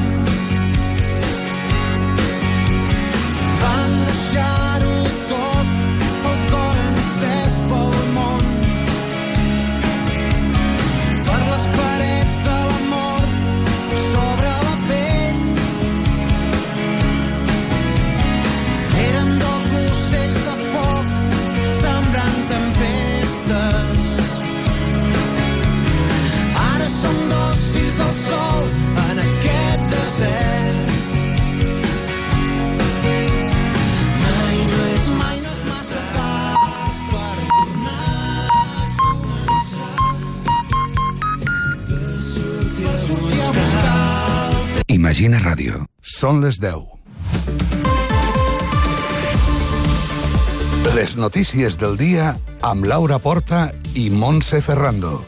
Vam deixar-ho tot, el cor encès pel món, per les parets de l'amor sobre la pell. Eren dos ocells de foc sembrant tempestes. Ara som dos fills del sol en aquest desert. Mai no és massa tard per tornar a començar, per sortir a buscar. Imagina Ràdio. Són les 10. Les notícies del dia amb Laura Porta i Montse Ferrando.